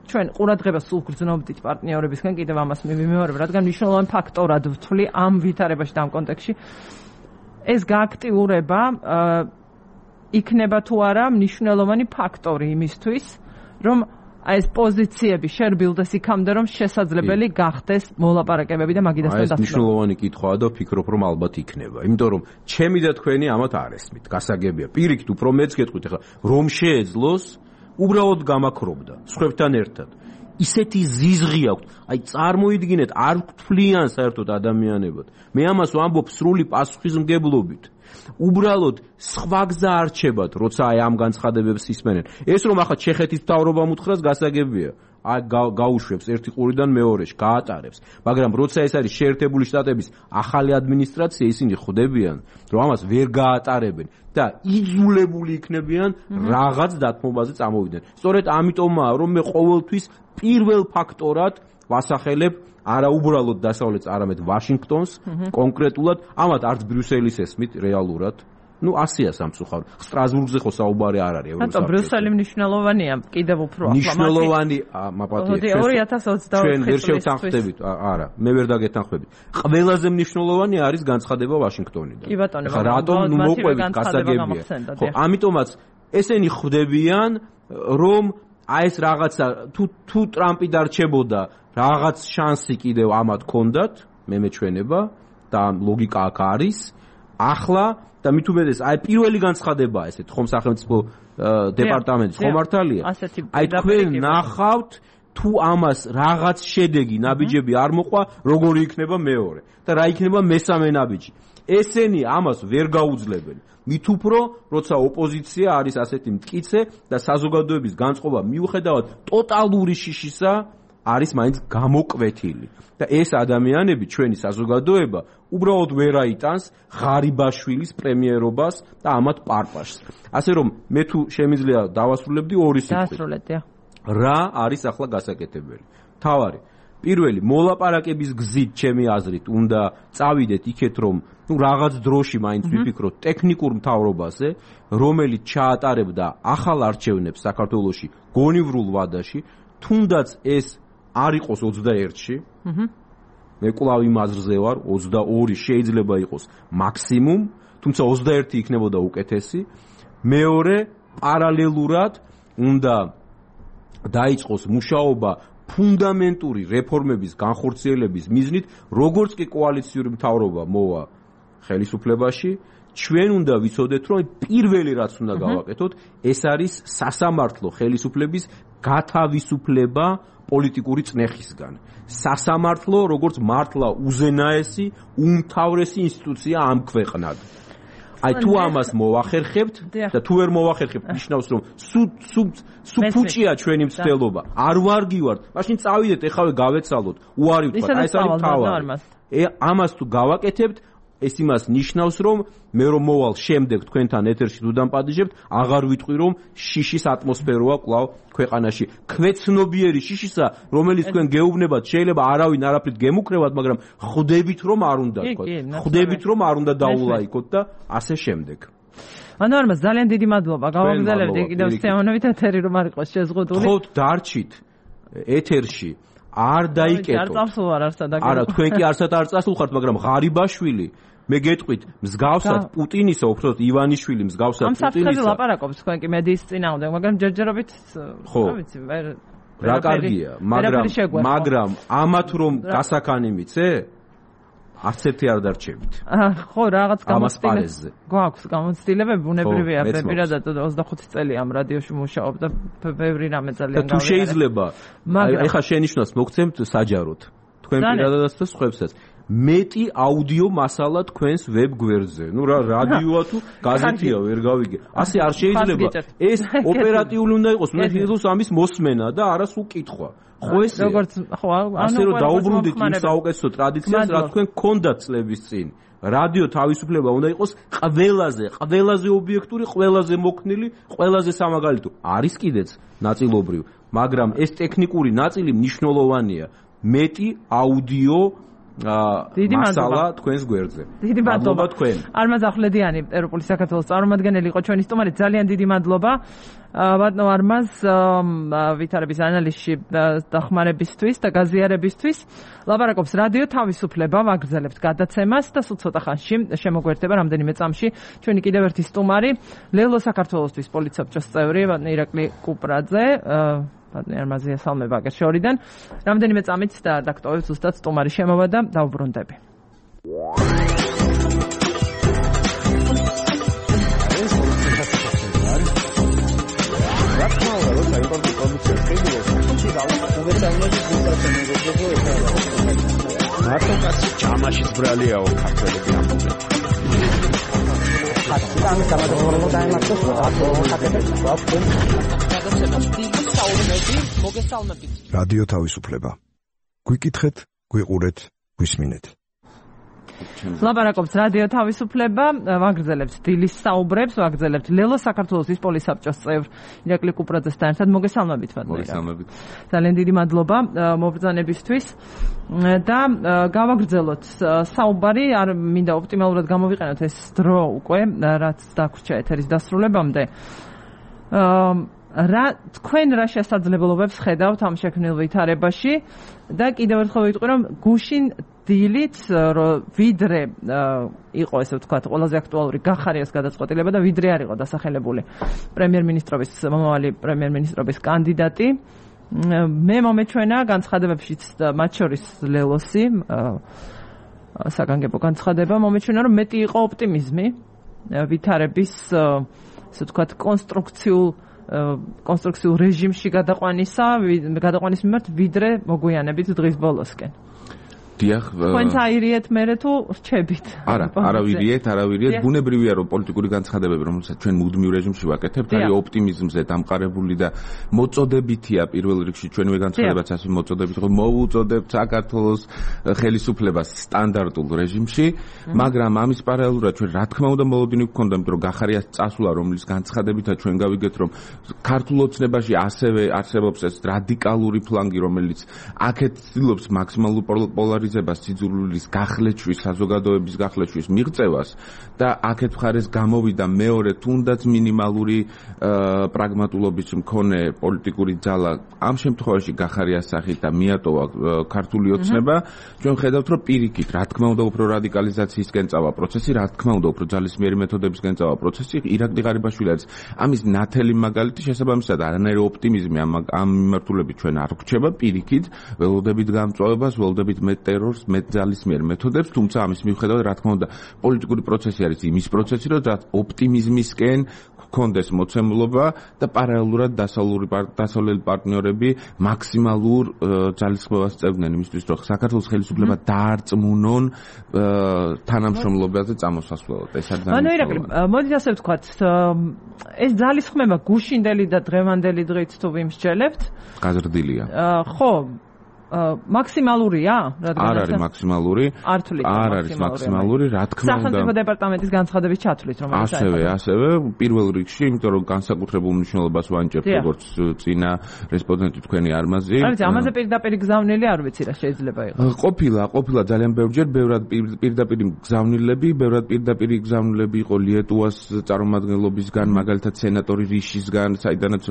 ჩვენ ყურადღებას სულ გრძნობდით პარტნიორებისგან, კიდევ ამას მივიმეორებ, რადგან მნიშვნელოვანი ფაქტორად ვთვლი ამ ვითარებაში და ამ კონტექსტში. ეს გააქტიურება იქნება თუ არა მნიშვნელოვანი ფაქტორი იმისთვის, რომ აი ეს პოზიციები შერბილდეს იქამდე, რომ შესაძლებელი გახდეს მოლაპარაკებები და მაგიდასთან დასწრება. აი ეს მნიშვნელოვანი კითხვაა და ვფიქრობ, რომ ალბათ იქნება. იმიტომ რომ ჩემი და თქვენი ამათ არ ესმით, გასაგებია. პირიქით უფრო მეც გეტყვით, ახლა რომ შეეძლოს, უბრალოდ გამაქრობდა სხვებთან ერთად. ისეთი ზიზღი აქვს. აი წარმოიდგინეთ, არ გვთვლიან საერთოდ ადამიანებად. მე ამას ვამბობ სრული პასუხისმგებლობით. უბრალოდ სხვა გზა არჩებათ, როცა აი ამ განცხადებებს ისმენენ. ეს რომ ახლა ჩეხეთის მთავრობამ უთხრას გასაგებია. აი გაუშვებს ერთი ყურიდან მეორეში, გაატარებს. მაგრამ როცა ეს არის შეერთებული შტატების ახალი ადმინისტრაცია, ისინი ხვდებიან, რომ ამას ვერ გაატარებენ და იძულებული იქნებიან რაღაც დათმობაზე წამოვიდნენ. სწორედ ამიტომაა, რომ მე ყოველთვის პირველ ფაქტორად ვასახელებ არა უბრალოდ დასავლეთს, არამედ ვაშინგტონს, კონკრეტულად, ამათ არც ბრიუსელის ესმით რეალურად. ну ასია სამწუხარო. სტრასბურგზე ხო საუბარი არ არის ევროსაბჭოს. ანუ ბრიუსელი მნიშვნელოვანია კიდევ უფრო ახლა. მნიშვნელოვანი მაპატია. ორი ათას ოცდაოთხ ჩვენ ვერ შევთანხმდებით, არა, მე ვერ დაგეთანხმებით. ყველაზე მნიშვნელოვანი არის განცხადება ვაშინგტონიდან. კი ბატონო, ხა რატომ ნუ მოყვებით გასაგებია. ხო, ამიტომაც ესენი ხვდებიან, რომ აი ეს რაღაცა თუ თუ ტრამპი დარჩებოდა, რაღაც შანსი კიდევ ამათ ჰქონდათ, მე მეჩვენება და ლოგიკა აქ არის. ახლა და მით უმეტეს აი პირველი განცხადებაა ესეთ ხომ სახელმწიფო დეპარტამენტის ხომ მართალია აი თქვენ ნახავთ თუ ამას რაღაც შედეგი ნაბიჯები არ მოყვა როგორი იქნება მეორე და რა იქნება მესამე ნაბიჯი ესენი ამას ვერ გაუძლებენ მით უფრო როცა ოპოზიცია არის ასეთი მტკიცე და საზოგადოების განწყობა მიუხედავად ტოტალური შიშისა არის მაინც გამოკვეთილი და ეს ადამიანები ჩვენი საზოგადოება უბრალოდ ვერ აიტანს ღარიბაშვილის პრემიერობას და ამათ პარპაშს. ასე რომ მე თუ შემიძლია დავასრულებდი ორი სიტყვით. დაასრულეთ. რა არის ახლა გასაკეთებელი? თავარი პირველი მოლაპარაკების გზით ჩემი აზრით უნდა წავიდეთ იქეთ რომ ну რაღაც დროში მაინც ვიფიქროთ ტექნიკურ მთავრობაზე რომელიც ჩაატარებდა ახალ არჩევნებს საქართველოში გონივრულ ვადაში თუნდაც ეს არ იყოს ოცდაერთში. აჰა. მე კვლავ იმ აზრზე ვარ, ოცდაორი შეიძლება იყოს მაქსიმუმ, თუმცა ოცდაერთი იქნებოდა უკეთესი. მეორე, პარალელურად უნდა დაიწყოს მუშაობა ფუნდამენტური რეფორმების განხორციელების მიზნით, როგორც კი კოალიციური მთავრობა მოვა ხელისუფლებაში, ჩვენ უნდა ვიცოდეთ, რომ პირველი რაც უნდა გავაკეთოთ, ეს არის სასამართლო ხელისუფლების გათავისუფლება პოლიტიკური წნეხისგან. სასამართლო როგორც მართლა უზენაესი, უმთავრესი ინსტიტუცია ამ ქვეყნად. აი თუ ამას მოვახერხებთ და თუ ვერ მოვახერხებთ, ნიშნავს რომ სუ სუ სუ ფუჭია ჩვენი მცდელობა. არ ვარგივართ. მაშინ წავიდეთ, ეხავე გავეცალოთ. უარი ვთქვა, აი ეს არის თავი. ამას თუ გავაკეთებთ ეს იმას ნიშნავს, რომ მე რომ მოვალ შემდეგ თქვენთან ეთერში თუ დამპატიჟებთ, აღარ ვიტყვი, რომ შიშის ატმოსფეროა კვლავ ქვეყანაში. ქვეცნობიერი შიშისა, რომელიც თქვენ გეუბნებათ, შეიძლება არავინ არაფრით გემუქრებათ, მაგრამ ხვდებით, რომ არ უნდა თქვა. ხვდებით, რომ არ უნდა დაულაიქოთ და ასე შემდეგ. ანუ არ მას ძალიან დიდი მადლობა. გავაგზავნებდი კიდევ სტეანოვით ეთერი რომ არ იყოს შეზღუდული. ხო, დარჩით ეთერში. არ დაიკეტო. არ წასულ არ არსად აგერ. არა, თქვენ კი არსად არ წასულ ხართ, მაგრამ ღარიბაშვილი მე გეტყვით, მსგავსად პუტინისა, უბრალოდ ივანიშვილი მსგავსად პუტინისა. ამ საფრთხეზე ლაპარაკობს თქვენ კი მედიის წინააღმდეგ, მაგრამ ჯერჯერობით რა ვიცი, მე რა კარგია, მაგრამ მაგრამ ამათ რომ გასაქანი მიცე? არც ერთი არ დარჩებით. ხო, რაღაც გამოცდილებები. გვაქვს გამოცდილებები, ბუნებრივია, პირადად ოცდახუთი წელი ამ რადიოში მუშაობ და ბევრი რამე ძალიან გავიგე. თუ შეიძლება, აი ხა შენიშნავს მოგცემთ საჯაროდ. თქვენ პირადადაც და სხვებსაც. მეტი აუდიო მასალა თქვენს ვებ გვერდზე. ნუ რა რადიოა თუ გაზეთია ვერ გავიგე. ასე არ შეიძლება. ეს ოპერატიული უნდა იყოს, უნდა იყოს ამის მოსმენა და არა სულ კითხვა. ხო ესე. როგორც ხო, ასე რომ დაუბრუნდით იმ საუკეთესო ტრადიციას, რაც თქვენ გქონდათ წლების წინ. რადიო თავისუფლება უნდა იყოს ყველაზე, ყველაზე ობიექტური, ყველაზე მოქნილი, ყველაზე სამაგალითო. არის კიდეც ნაწილობრივ, მაგრამ ეს ტექნიკური ნაწილი მნიშვნელოვანია. მეტი აუდიო დიდი მასალა თქვენს გვერდზე. დიდი მადლობა თქვენ. არმაზ ახვლედიანი, ევროპული საქართველოს წარმომადგენელი იყო ჩვენი სტუმარი. ძალიან დიდი მადლობა. ბატონო არმაზ, ვითარების ანალიზში დახმარებისთვის და გაზიარებისთვის. ლაპარაკობს რადიო თავისუფლება, ვაგრძელებთ გადაცემას და სულ ცოტა ხანში შემოგვერთება რამდენიმე წამში ჩვენი კიდევ ერთი სტუმარი, ლელო საქართველოსთვის პოლიცსაბჭოს წევრი, ბატონო ირაკლი კუპრაძე. ბატონო არმაზია სალმება აგერ შორიდან. რამდენიმე წამით და დაქტოვებ ზუსტად სტუმარი შემოვა და დავუბრუნდები. მარტო კაცი ჯამაშის ბრალიაო ქართველები ამბობენ. ხატი და ამის გამოდევნებო დაემართოს ხატებს მოგესალმებით. რადიო თავისუფლება. გვიკითხეთ, გვიყურეთ, გვისმინეთ. ლაპარაკობს რადიო თავისუფლება, ვაგრძელებთ დილის საუბრებს, ვაგრძელებთ ლელო საქართველოს ისპოლის საბჭოს წევრ ირაკლი კუპრაძესთან ერთად. მოგესალმებით, მოგესალმებით. ძალიან დიდი მადლობა მობრძანებისთვის და გავაგრძელოთ საუბარი, არ მინდა ოპტიმალურად გამოვიყენოთ ეს დრო უკვე, რაც დაგვრჩა ეთერის დასრულებამდე. რა თქვენ რა შესაძლებლობებს ხედავთ ამ შექმნილ ვითარებაში და კიდევ ერთხელ ვიტყვი რომ გუშინ დილით ვიდრე იყო ესე ვთქვათ ყველაზე აქტუალური გახარიას გადაწყვეტილება და ვიდრე არ იყო დასახელებული პრემიერ-მინისტრობის მომავალი პრემიერ-მინისტრობის კანდიდატი მე მომეჩვენა განცხადებებშიც მათ შორის ლელოსი საგანგებო განცხადება მომეჩვენა რომ მეტი იყო ოპტიმიზმი ვითარების ესე ვთქვათ კონსტრუქციულ კონსტრუქციულ რეჟიმში გადაყვანისა, გადაყვანის მიმართ ვიდრე მოგვიანებით დღის ბოლოსკენ. დიახ, თქვენც აირიეთ მერე თუ რჩებით? არა, არავირიეთ, არავირიეთ. ბუნებრივია რომ პოლიტიკური განცხადებები, რომელსაც ჩვენ მუდმივ რეჟიმში ვაკეთებთ, არის ოპტიმიზმზე დამყარებული და მოწოდებითია პირველ რიგში ჩვენვე განცხადებაც ასე მოწოდებით, რომ მოუწოდებთ საქართველოს ხელისუფლებას სტანდარტულ რეჟიმში, მაგრამ ამის პარალელურად ჩვენ რა თქმა უნდა მოლოდინი გვქონდა, იმიტომ რომ გახარიას წასვლა, რომლის განცხადებითაც ჩვენ გავიგეთ, რომ ქართულ ოცნებაში ასევე არსებობს ეს რადიკალური ფლანგი, რომელიც აქეთ ცდილობს მაქსიმალურ პოლარიზაციას სიძულვილის გახლეჩვის, საზოგადოების გახლეჩვის მიღწევას და აქეთ მხარეს გამოვიდა მეორე თუნდაც მინიმალური პრაგმატულობის მქონე პოლიტიკური ძალა ამ შემთხვევაში გახარიას სახით და მიატოვა ქართული ოცნება ჩვენ ხედავთ რომ პირიქით რა თქმა უნდა უფრო რადიკალიზაციისკენ წავა პროცესი რა თქმა უნდა უფრო ძალისმიერი მეთოდებისკენ წავა პროცესი ირაკლი ღარიბაშვილი არის ამის ნათელი მაგალითი შესაბამისად არანაირი ოპტიმიზმი ამ ამ მიმართულებით ჩვენ არ გვჩება პირიქით ველოდებით გამწვავებას ველოდებით მეტ ტერორს მეტ ძალისმიერ მეთოდებს, თუმცა ამის მიუხედავად, რა თქმა უნდა, პოლიტიკური პროცესი არის იმის პროცესი, რომ ოპტიმიზმისკენ გქონდეს მოცემულობა და პარალელურად დასავლელი პარტნიორები მაქსიმალურ ძალისხმევას წევდნენ იმისთვის, რომ საქართველოს ხელისუფლება დაარწმუნონ თანამშრომლობაზე წამოსასვლელად. ეს არის ძალიან ირაკლი, მოდით ასე ვთქვათ, ეს ძალისხმევა გუშინდელი და დღევანდელი დღით თუ ვიმსჯელებთ? გაზრდილია. ხო, მაქსიმალურია? არ არის მაქსიმალური. არ თვლით არ არის მაქსიმალური, რა თქმა უნდა. სახელმწიფო დეპარტამენტის განცხადების ჩათვლით, რომელიც ასევე, ასევე პირველ რიგში, იმიტომ რომ განსაკუთრებულ მნიშვნელობას ვანიჭებთ როგორც წინა რესპონდენტი თქვენი არმაზი. რა ვიცი, ამაზე პირდაპირ გზავნილი არ ვიცი რა შეიძლება იყოს. ყოფილა, ყოფილა ძალიან ბევრჯერ, ბევრად პირდაპირ გზავნილები, ბევრად პირდაპირ გზავნილები იყო ლიეტუვას წარმომადგენლობისგან, მაგალითად სენატორი რიშისგან, საიდანაც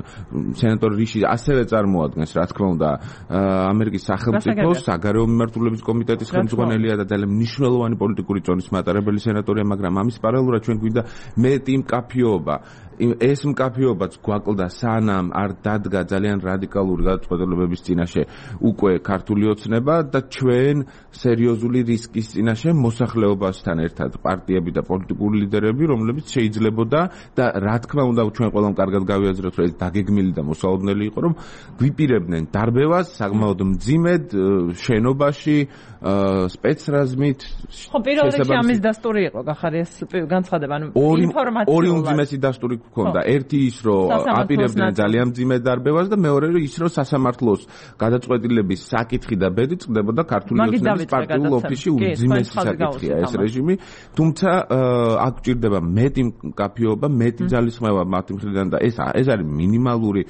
სენატორი რიში ასევე წარმოადგენს, რა თქმა უნდა, ამერიკის სახელმწიფოს საგარეო მიმართულების კომიტეტის ხელმძღვანელია და ძალიან მნიშვნელოვანი პოლიტიკური წონის მატარებელი სენატორია, მაგრამ ამის პარალელურად ჩვენ გვინდა მეტი მკაფიობა. ეს მკაფიობაც გვაკლდა სანამ არ დადგა ძალიან რადიკალური გადაწყვეტილებების წინაშე უკვე ქართული ოცნება და ჩვენ სერიოზული რისკის წინაშე მოსახლეობასთან ერთად პარტიები და პოლიტიკური ლიდერები, რომლებიც შეიძლებოდა და რა თქმა უნდა ჩვენ ყველამ კარგად გავიაზროთ, რომ ეს დაგეგმილი და მოსალოდნელი იყო, რომ გვიპირებდნენ დარბევას საკმაოდ მძიმედ შენობაში სპეცრაზმით. ხო, პირველ რიგში ამის დასტური იყო გახარიას განცხადება, ანუ ინფორმაციულად. ორი უმძიმესი დასტური გქონდა. ერთი ის, რომ აპირებდნენ ძალიან მძიმე დარბევას და მეორე ის, რომ სასამართლოს გადაწყვეტილების საკითხი და ბედი წყდებოდა ქართული ოცნების პარტიულ ოფისში უმძიმესი საკითხია ეს რეჟიმი. თუმცა აქ გვჭირდება მეტი მკაფიობა, მეტი ძალისხმევა მათი მხრიდან და ეს ეს არის მინიმალური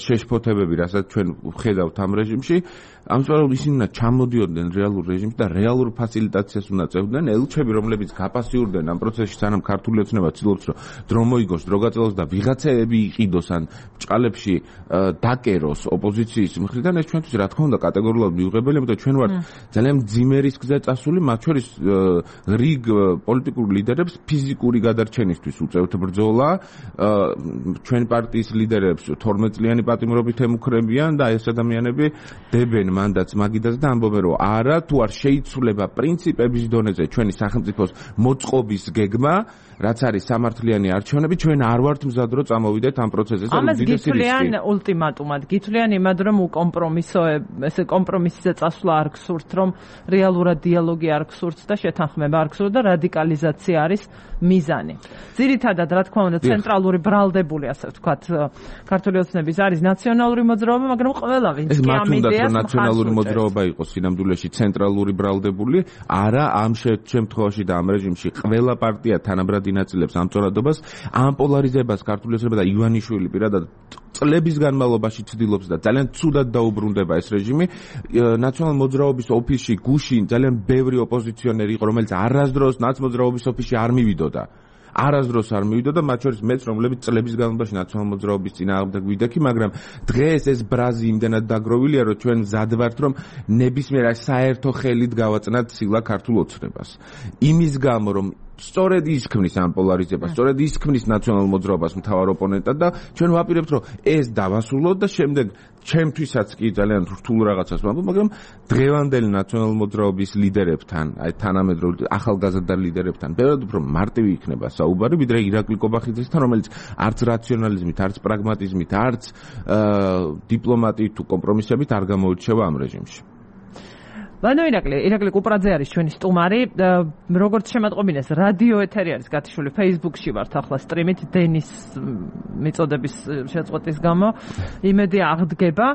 შეშფოთებები, რასაც ჩვენ ვხედავთ ამ რეჟიმში. ამჟამად ისინი უნდა ჩამოდიოდნენ რეალურ რეჟიმში და რეალურ ფასილიტაციას უნდა წევდნენ ელჩები, რომლებიც გაპასიურდნენ ამ პროცესში, სანამ ქართული ოცნება ცდილობს, რომ დრო მოიგოს, დრო გაწელოს და ვიღაცები იყიდოს ან ბჭყალებში დაკეროს ოპოზიციის მხრიდან, ეს ჩვენთვის რა თქმა უნდა კატეგორიულად მიუღებელი, იმიტომ ჩვენ ვართ ძალიან მძიმე რისკზე წასული, მათ შორის რიგ პოლიტიკურ ლიდერებს ფიზიკური გადარჩენისთვის უწევთ ბრძოლა, ჩვენ პარტიის ლიდერებს თორმეტ წლიანი პატიმრობით ემუქრებიან და ეს ადამიანები დებენ იღებენ მანდატს მაგიდაზე და ამბობენ რომ არა თუ არ შეიცვლება პრინციპების დონეზე ჩვენი სახელმწიფოს მოწყობის გეგმა რაც არის სამართლიანი არჩევნები ჩვენ არ ვართ მზად რომ წამოვიდეთ ამ პროცესზე და ამას გითვლიან ულტიმატუმად გითვლიან იმად რომ უკომპრომისო ესე კომპრომისზე წასვლა არ გსურთ რომ რეალურად დიალოგი არ გსურთ და შეთანხმება არ გსურთ და რადიკალიზაცია არის მიზანი ძირითადად რა თქმა უნდა ცენტრალური ბრალდებული ასე ვთქვათ ქართული ოცნების არის ნაციონალური მოძრაობა მაგრამ ყველა ვინც კი ამ იდეას ნაციონალური მოძრაობა იყოს სინამდვილეში ცენტრალური ბრალდებული არა ამ შემთხვევაში და ამ რეჟიმში ყველა პარტია თანაბრად ინაწილებს ამ წორადობას ამ პოლარიზებას ქართული ოცნება და ივანიშვილი პირადად წლების განმავლობაში ცდილობს და ძალიან ცუდად დაუბრუნდება ეს რეჟიმი ნაციონალური მოძრაობის ოფისში გუშინ ძალიან ბევრი ოპოზიციონერი იყო რომელიც არასდროს ნაცმოძრაობის ოფისში არ მივიდოდა არასდროს არ მივიდოდა მათ შორის მეც რომლებიც წლების განმავლობაში ნაციონალური მოძრაობის წინააღმდეგ ვიდექი მაგრამ დღეს ეს ბრაზი იმდენად დაგროვილია რომ ჩვენ მზად ვართ რომ ნებისმიერ საერთო ხელით გავაწნათ სილა ქართულ ოცნებას იმის გამო რომ სწორედ ის ქმნის ამ პოლარიზებას, სწორედ ის ქმნის ნაციონალურ მოძრაობას მთავარ ოპონენტად და ჩვენ ვაპირებთ რომ ეს დავასრულოთ და შემდეგ ჩემთვისაც კი ძალიან რთულ რაღაცას ვამბობ, მაგრამ დღევანდელი ნაციონალურ მოძრაობის ლიდერებთან, აი თანამედროვე ახალგაზრდა ლიდერებთან, ბევრად უფრო მარტივი იქნება საუბარი, ვიდრე ირაკლი კობახიძესთან, რომელიც არც რაციონალიზმით, არც პრაგმატიზმით, არც დიპლომატიით თუ კომპრომისებით არ გამოირჩევა ამ რეჟიმში. Bueno, ირაკლი, ირაკლი კუპრაძე არის ჩვენი სტუმარი. როგორც შემატყობინეს, რადიო ეთერი არის გათიშული Facebook-ში ვართ ახლა სტრიმით დენის მიწოდების შეწყვეტის გამო. იმედი აღდგება.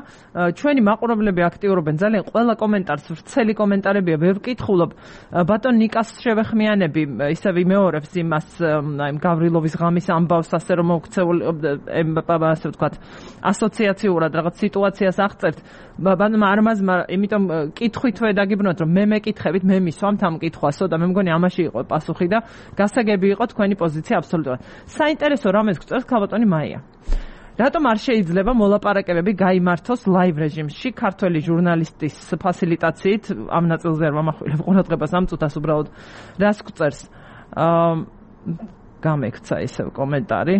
ჩვენი მაყურებლები აქტიურობენ ძალიან ყველა კომენტარს, ვრცელი კომენტარებია, ვერ ვკითხულობ. ბატონ ნიკას შევეხმიანები, ისევ იმეორებს იმას, აი გავრილოვის ღამის ამბავს, ასე რომ მოქცეული, ასე ვთქვათ, ასოციაციურად რაღაც სიტუაციას აღწერთ. ბატონმა არმაზმა, იმიტომ კითხვით დაგიბრუნოთ რომ მე მეკითხებით მე მისვამთ ამ კითხვასო და მე მგონი ამაში იყო პასუხი და გასაგები იყო თქვენი პოზიცია აბსოლუტურად. საინტერესო რამეს გწევს ქალბატონი მაია. რატომ არ შეიძლება მოლაპარაკებები გაიმართოს ლაივ რეჟიმში ქართველი ჟურნალისტის ფასილიტაციით ამ ნაწილზე არ ვამახვილებ ყურადღებას ამ წუთას უბრალოდ რას გწერს გამექცა ისევ კომენტარი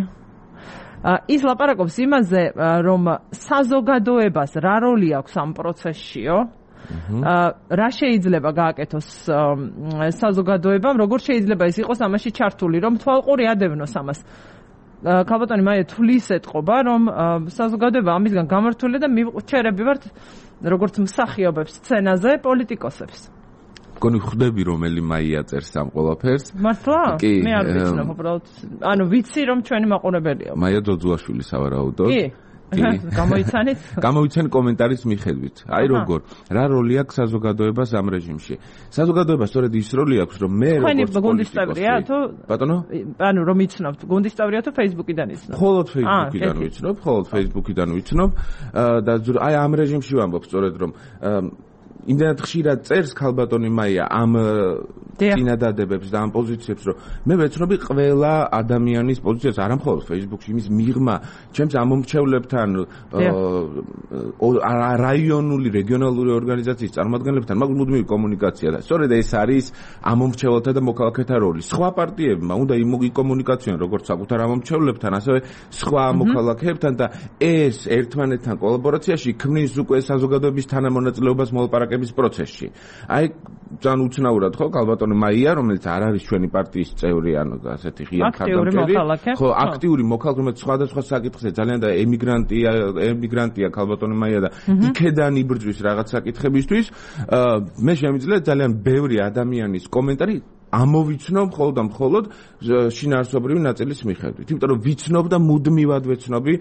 ის ლაპარაკობს იმაზე რომ საზოგადოებას რა როლი აქვს ამ პროცესშიო რა შეიძლება გააკეთოს საზოგადოებამ, როგორ შეიძლება ის იყოს ამაში ჩართული, რომ თვალყური ადევნოს ამას. ქალბატონი მაია თulis ეთყობა, რომ საზოგადოება ამისგან გამართულია და მივჭერები ვართ როგორც მსახიობებს სცენაზე პოლიტიკოსებს. გონი ხვდები რომელი მაია წერს ამ ყველაფერს? მართლა? მე არ ვიცნობ უბრალოდ. ანუ ვიცი რომ ჩვენი მაყურებელია. მაია ძოძუაშვილი სავარაუდოდ. კი. გამოიცანეთ? გამოიცან კომენტარის მიხედვით. აი როგორ, რა როლი აქვს საზოგადოებას ამ რეჟიმში? საზოგადოებას სწორედ ის როლი აქვს, რომ მე როგორც გუნდისტავრია თუ ბატონო? ანუ რომ იცნობთ, გუნდისტავრია თუ Facebook-იდან იცნობთ? მხოლოდ Facebook-იდან ვიცნობ, მხოლოდ Facebook-იდან ვიცნობ და აი ამ რეჟიმში ვამბობ სწორედ რომ იმდენად ხშირად წერს ქალბატონი მაია ამ წინადადებებს და ამ პოზიციებს, რომ მე ვეცნობი ყველა ადამიანის პოზიციას, არა მხოლოდ Facebook-ში, იმის მიღმა, ჩემს ამომრჩევლებთან, რაიონული, რეგიონალური ორგანიზაციის წარმომადგენლებთან, მაგ მუდმივი კომუნიკაცია და სწორედ ეს არის ამომრჩეველთა და მოქალაქეთა როლი. სხვა პარტიებმა უნდა იმოგიკომუნიკაციონ როგორც საკუთარ ამომრჩევლებთან, ასევე სხვა მოქალაქეებთან და ეს ერთმანეთთან კოლაბორაციაში ქმნის უკვე საზოგადოების თანამონაწილეობას მოლაპარაკების პროცესში. აი ძალიან უცნაურად ხო ქალბატონი მაია, რომელიც არ არის ჩვენი პარტიის წევრი, ანუ ასეთი ღია ხარდამჭერი, ხო, აქტიური მოქალაქე, რომელიც სხვადასხვა საკითხზე ძალიან და ემიგრანტია, ემიგრანტია ქალბატონი მაია და იქედან იბრძვის რაღაც საკითხებისთვის. მე შემიძლია ძალიან ბევრი ადამიანის კომენტარი ამოვიცნობ მხოლოდ და მხოლოდ შინაარსობრივი ნაწილის მიხედვით. იმიტომ რომ ვიცნობ და მუდმივად ვეცნობი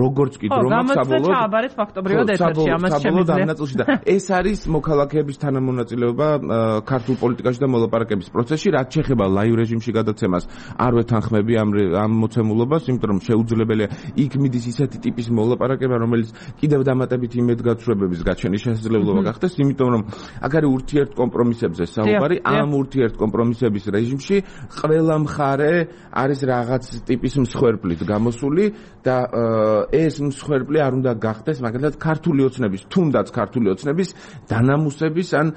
როგორც კი დრო მაქვს საბოლოოდ. ხო, გამოცდეთ ფაქტობრივად ეთერში ამას შემიძლია. ეს არის მოქალაქეების თანამონაწილეობა ქართულ პოლიტიკაში და მოლაპარაკების პროცესში, რაც შეეხება ლაივ რეჟიმში გადაცემას. არ ვეთანხმები ამ ამ მოცემულობას, იმიტომ რომ შეუძლებელია იქ მიდის ისეთი ტიპის მოლაპარაკება, რომელიც კიდევ დამატებით იმედგაცრუებების გაჩენის შესაძლებლობა გახდეს, იმიტომ რომ აქ არის ურთიერთ კომპრომისებზე საუბარი, ამ ურთიერთ კომპრომისების რეჟიმში ყველა მხარე არის რაღაც ტიპის მსხვერპლით გამოსული და ეს მსხვერპლი არ უნდა გახდეს მაგალითად ქართული ოცნების, თუნდაც ქართული ოცნების დანამუსების ან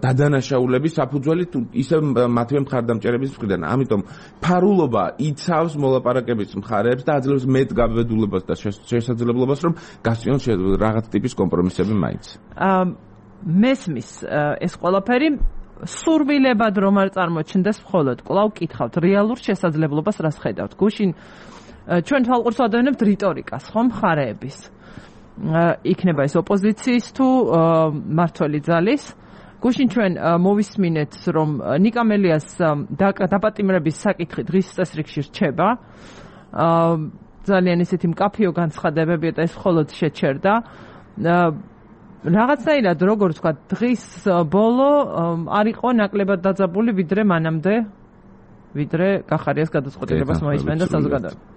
დადანაშაულების საფუძველი ისე მათივე მხარდამჭერების მხრიდან. ამიტომ ფარულობა იცავს მოლაპარაკების მხარეებს და აძლევს მეტ გაბედულებას და შესაძლებლობას რომ გასწიონ რაღაც ტიპის კომპრომისები მაინც. მესმის ეს ყველაფერი სურვილებად რომ არ წარმოჩნდეს მხოლოდ კვლავ კითხავთ რეალურ შესაძლებლობას რას ხედავთ გუშინ ჩვენ თვალყურს ვადევნებთ რიტორიკას ხომ მხარეების იქნება ეს ოპოზიციის თუ მმართველი ძალის გუშინ ჩვენ მოვისმინეთ რომ ნიკა მელიას დაპატიმრების საკითხი დღის წესრიგში რჩება ძალიან ისეთი მკაფიო განცხადებებია და ეს მხოლოდ შეჩერდა რაღაცნაირად როგორ თქვა დღის ბოლო არ იყო ნაკლებად დაძაბული ვიდრე მანამდე ვიდრე კახარიას გადაწყვეტილებას მოისმენდა საზოგადოება.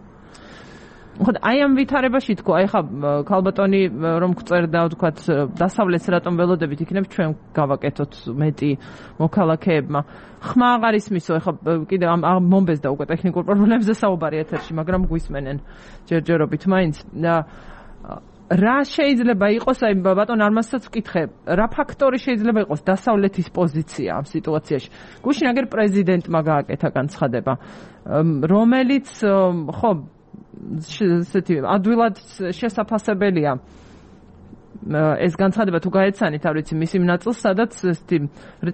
ხო აი ამ ვითარებაში თქო აი ხა ქალბატონი რომ გწერდა თქვა დასავლეთს რატომ ველოდებით იქნებ ჩვენ გავაკეთოთ მეტი მოქალაქეებმა ხმა აღარ ისმისო ხა კიდე ამ მომბეზდა უკვე ტექნიკურ პრობლემებზე საუბარი ეთერში მაგრამ გვისმენენ ჯერჯერობით მაინც რა შეიძლება იყოს აი ბატონ არმაზსაც ვკითხე რა ფაქტორი შეიძლება იყოს დასავლეთის პოზიცია ამ სიტუაციაში გუშინ აგერ პრეზიდენტმა გააკეთა განცხადება რომელიც ხო ესეთი ადვილად შესაძლებელია ეს განცხადება თუ გაეცანით არ ვიცი მის იმ ნაწილს სადაც ესეთი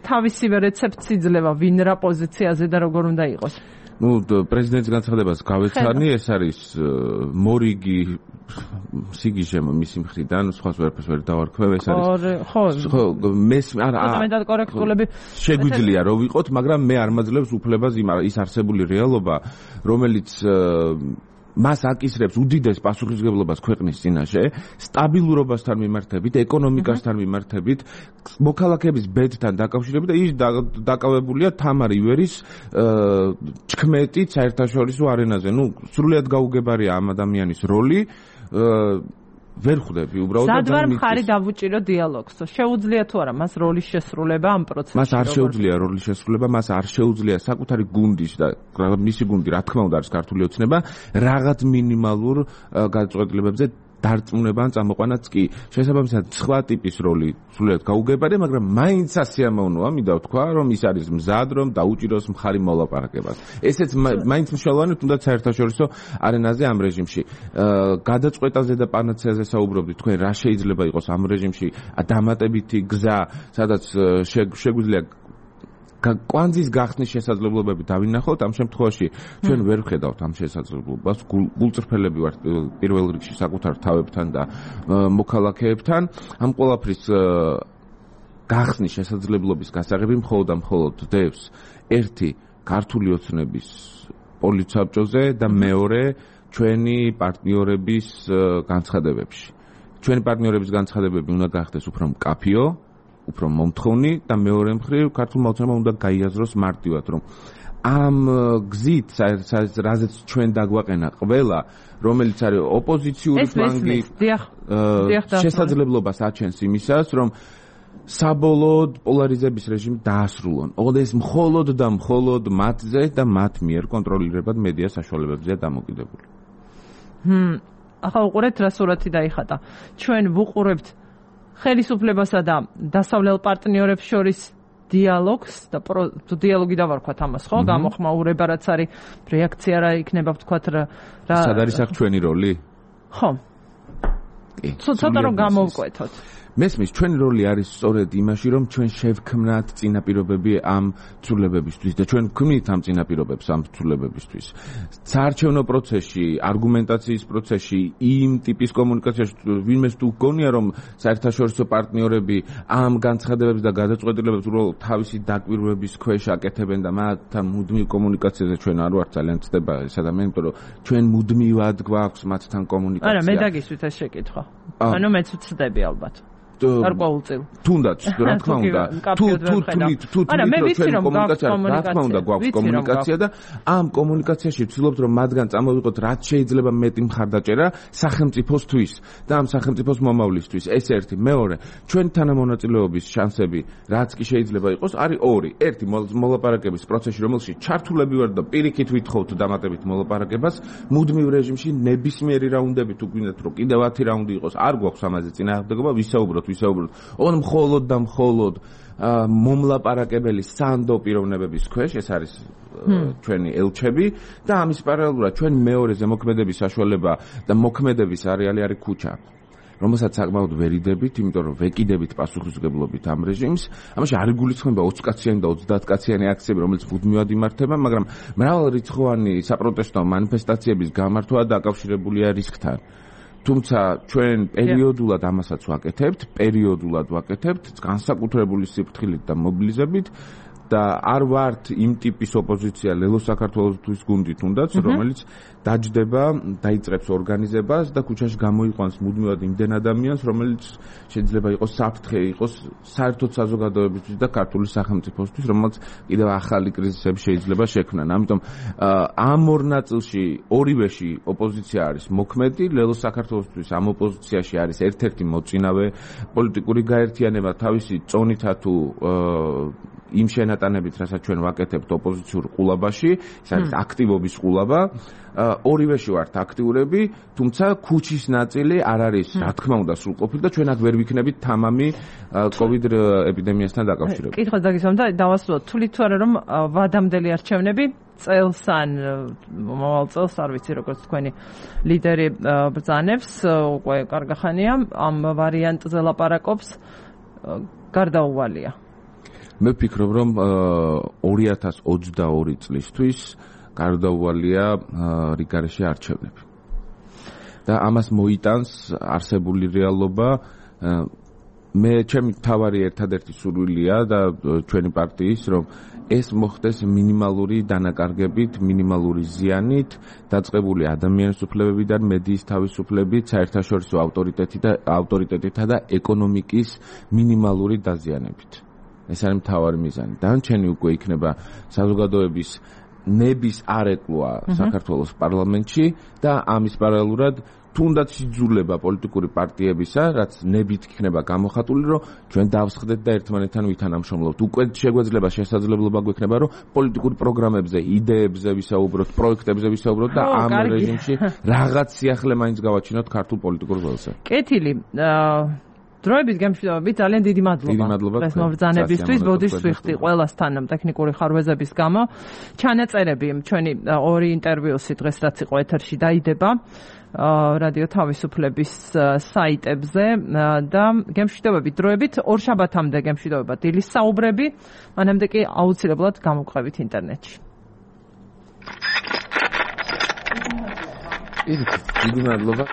თავისივე რეცეპტი იძლევა ვინ რა პოზიციაზე და როგორ უნდა იყოს ну პრეზიდენტის განცხადებას გავეცანი ეს არის მორიგი სიგიჟე მისი მხრიდან სხვას ვერაფერს ვერ დავარქვევ ეს არის ხო ხო მეს არა ფუნდამენტალ კორექტულები შეგვიძლია რომ ვიყოთ მაგრამ მე არ მაძლევს უფლებას ის არსებული რეალობა რომელიც მას აკისრებს უდიდეს პასუხისმგებლობას ქვეყნის წინაშე, სტაბილურობასთან მიმართებით, ეკონომიკასთან მიმართებით, მოქალაქეების ბედთან დაკავშირებით და ის დაკავებულია თამარ ივერის ჩქმეტით საერთაშორისო არენაზე. ნუ სრულიად გაუგებარია ამ ადამიანის როლი. ვერ ხვდები უბრალოდ და სადვარ მხარი დავუჭირო დიალოგს. შეუძლია თუ არა მას როლის შესრულება ამ პროცესში? მას არ შეუძლია როლის შესრულება, მას არ შეუძლია საკუთარი გუნდის და მისი გუნდი რა თქმა უნდა არის ქართული ოცნება რაღაც მინიმალურ გადაწყვეტილებებზე დარწმუნება ან წამოყვანაც კი შესაბამისად სხვა ტიპის როლი სრულიად გაუგებარია, მაგრამ მაინც ასიამოვნოა, მინდა ვთქვა, რომ ის არის მზად, რომ დაუჭიროს მხარი მოლაპარაკებას. ესეც მაინც მნიშვნელოვანი თუნდაც საერთაშორისო არენაზე ამ რეჟიმში. გადაწყვეტაზე და პანაცეაზე საუბრობდით, თქვენ რა შეიძლება იყოს ამ რეჟიმში დამატებითი გზა, სადაც შეგვიძლია კვანძის გახსნის შესაძლებლობები დავინახოთ, ამ შემთხვევაში ჩვენ ვერ ვხედავთ ამ შესაძლებლობას, გულწრფელები ვართ პირველ რიგში საკუთარ თავებთან და მოქალაქეებთან. ამ ყველაფრის გახსნის შესაძლებლობის გასაღები მხოლოდ და მხოლოდ დევს ერთი ქართული ოცნების პოლიტსაბჭოზე და მეორე ჩვენი პარტნიორების განცხადებებში. ჩვენი პარტნიორების განცხადებები უნდა გახდეს უფრო მკაფიო უფრო მომთხოვნი და მეორე მხრივ ქართულმა ოცნებამ უნდა გაიაზროს მარტივად რომ ამ გზით რაზეც ჩვენ დაგვაყენა ყველა რომელიც არის ოპოზიციური ფლანგი შესაძლებლობას აჩენს იმისას რომ საბოლოოდ პოლარიზების რეჟიმი დაასრულონ. ოღონდ ეს მხოლოდ და მხოლოდ მათზე და მათ მიერ კონტროლირებად მედია საშუალებებზეა დამოკიდებული. ჰმ, ახლა უყურეთ რა სურათი დაიხატა. ჩვენ ვუყურებთ ხელისუფლებასა და დასავლელ პარტნიორებს შორის დიალოგს და დიალოგი დავარქვათ ამას, ხო? გამოხმაურება რაც არის, რეაქცია რა იქნება ვთქვათ რა. სად არის აქ ჩვენი როლი? ხო. ცოტა რომ გამოვკვეთოთ. მესმის ჩვენი როლი არის სწორედ იმაში რომ ჩვენ შევქმნათ წინაპირობები ამ ცვლილებებისთვის და ჩვენ ვქმნით ამ წინაპირობებს ამ ცვლილებებისთვის. საარჩევნო პროცესში, არგუმენტაციის პროცესში, იმ ტიპის კომუნიკაციაში ვინმეს თუ გონია რომ საერთაშორისო პარტნიორები ამ განცხადებებს და გადაწყვეტილებებს უბრალოდ თავისი დაკვირვების ქვეშ აკეთებენ და მათთან მუდმივ კომუნიკაციაზე ჩვენ არ ვართ ძალიან ცდება ეს ადამიანი, იმიტომ რომ ჩვენ მუდმივად გვაქვს მათთან კომუნიკაცია. არა, მე დაგისვით ეს შეკითხვა. ანუ მეც ვცდები ალბათ. გარკვეულწილ. თუნდაც, რა თქმა უნდა. თუ თუ თუ თუ ჩვენი კომუნიკაცია, რა თქმა უნდა, გვაქვს კომუნიკაცია და ამ კომუნიკაციაში ვცდილობთ რომ მათგან წამოვიღოთ რაც შეიძლება მეტი მხარდაჭერა სახელმწიფოსთვის და ამ სახელმწიფოს მომავლისთვის. ეს ერთი, მეორე, ჩვენი თანამონაწილეობის შანსები რაც კი შეიძლება იყოს, არის ორი. ერთი, მოლაპარაკების პროცესში, რომელშიც ჩართულები ვართ და პირიქით ვითხოვთ დამატებით მოლაპარაკებას, მუდმივ რეჟიმში ნებისმიერი რაუნდები თუ გვინდათ რომ კიდევ ათი რაუნდი იყოს, არ გვაქვს ამაზე წინააღმდეგობა, ვისაუბროთ, ვისაუბროთ. ოღონდ მხოლოდ და მხოლოდ მომლაპარაკებელი სანდო პიროვნებების ქვეშ, ეს არის ჩვენი ელჩები და ამის პარალელურად ჩვენი მეორე ზემოქმედების საშუალება და მოქმედების არეალი არის ქუჩა. რომელსაც საკმაოდ ვერიდებით, იმიტომ რომ ვეკიდებით პასუხისმგებლობით ამ რეჟიმს. ამაში არ იგულისხმება ოცდაათკაციანი და ოცდაათკაციანი აქციები, რომელიც მუდმივად იმართება, მაგრამ მრავალრიცხოვანი საპროტესტო მანიფესტაციების გამართვა დაკავშირებულია რისკთან. თუმცა ჩვენ პერიოდულად ამასაც ვაკეთებთ, პერიოდულად ვაკეთებთ, განსაკუთრებული სიფრთხილით და მობილიზებით და არ ვართ იმ ტიპის ოპოზიცია ლელო საქართველოსთვის გუნდით თუნდაც, რომელიც დაჯდება, დაიწყებს ორგანიზებას და ქუჩაში გამოიყვანს მუდმივად იმდენ ადამიანს, რომელიც შეიძლება იყოს საფრთხე, იყოს საერთოდ საზოგადოებისთვის და ქართული სახელმწიფოსთვის, რომელიც კიდევ ახალი კრიზისები შეიძლება შექმნან. ამიტომ ამ ორ ნაწილში, ორივეში ოპოზიცია არის მოქმედი, ლელო საქართველოსთვის ამ ოპოზიციაში არის ერთ-ერთი მოწინავე პოლიტიკური გაერთიანება თავისი წონითა თუ იმ შენატანებით, რასაც ჩვენ ვაკეთებთ ოპოზიციურ ყულაბაში, ეს არის აქტივობის ყულაბა. ორივეში ვართ აქტიურები, თუმცა ქუჩის ნაწილი არ არის, რა თქმა უნდა, სრულყოფილი და ჩვენ აქ ვერ ვიქნებით თამამი კოვიდ ეპიდემიასთან დაკავშირებით. კითხვა დაგისვამ და დავასრულოთ, თვლით თუ არა რომ ვადამდელი არჩევნები წელს ან მომავალ წელს, არ ვიცი როგორც თქვენი ლიდერი ბრძანებს, უკვე კარგი ხანია ამ ვარიანტზე ლაპარაკობს, გარდაუვალია. მე ვფიქრობ რომ ორი ათას ოცდაორი წლისთვის გარდაუვალია რიგარეში არჩევნები. და ამას მოიტანს არსებული რეალობა. მე ჩემი თავარი ერთადერთი სურვილია და ჩვენი პარტიის რომ ეს მოხდეს მინიმალური დანაკარგებით, მინიმალური ზიანით, დაწყებული ადამიანის უფლებებიდან, მედიის თავისუფლებით, საერთაშორისო ავტორიტეტით და ავტორიტეტითა და ეკონომიკის მინიმალური დაზიანებით. ეს არის მთავარი მიზანი. დანარჩენი უკვე იქნება საზოგადოების ნების არეკლვა საქართველოს პარლამენტში და ამის პარალელურად თუნდაც იძულება პოლიტიკური პარტიებისა, რაც ნებით იქნება გამოხატული, რომ ჩვენ დავსხდეთ და ერთმანეთთან ვითანამშრომლობთ. უკვე შეგვეძლება შესაძლებლობა გვექნება, რომ პოლიტიკურ პროგრამებზე, იდეებზე ვისაუბროთ, პროექტებზე ვისაუბროთ და ამ რეჟიმში რაღაც სიახლე მაინც გავაჩინოთ ქართულ პოლიტიკურ ველზე. კეთილი. დროებით გემშვიდობებით, ძალიან დიდი მადლობა ეს მობრძანებისთვის, ბოდიშს ვიხდი ყველასთან ტექნიკური ხარვეზების გამო. ჩანაწერები ჩვენი ორი ინტერვიუსი დღეს რაც იყო ეთერში დაიდება რადიო თავისუფლების საიტებზე და გემშვიდობებით დროებით ორშაბათამდე გემშვიდობება დილის საუბრები, მანამდე კი აუცილებლად გამოგყვებით ინტერნეტში. დიდი მადლობა.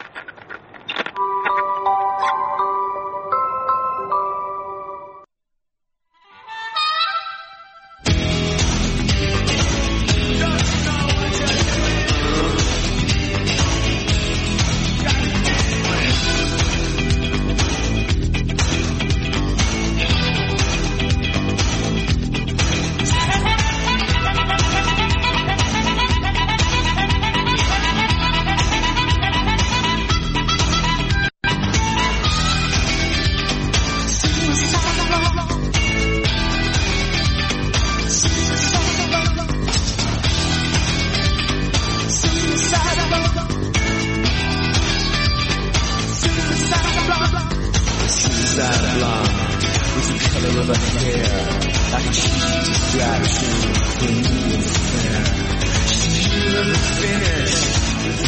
Finish,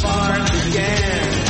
far again.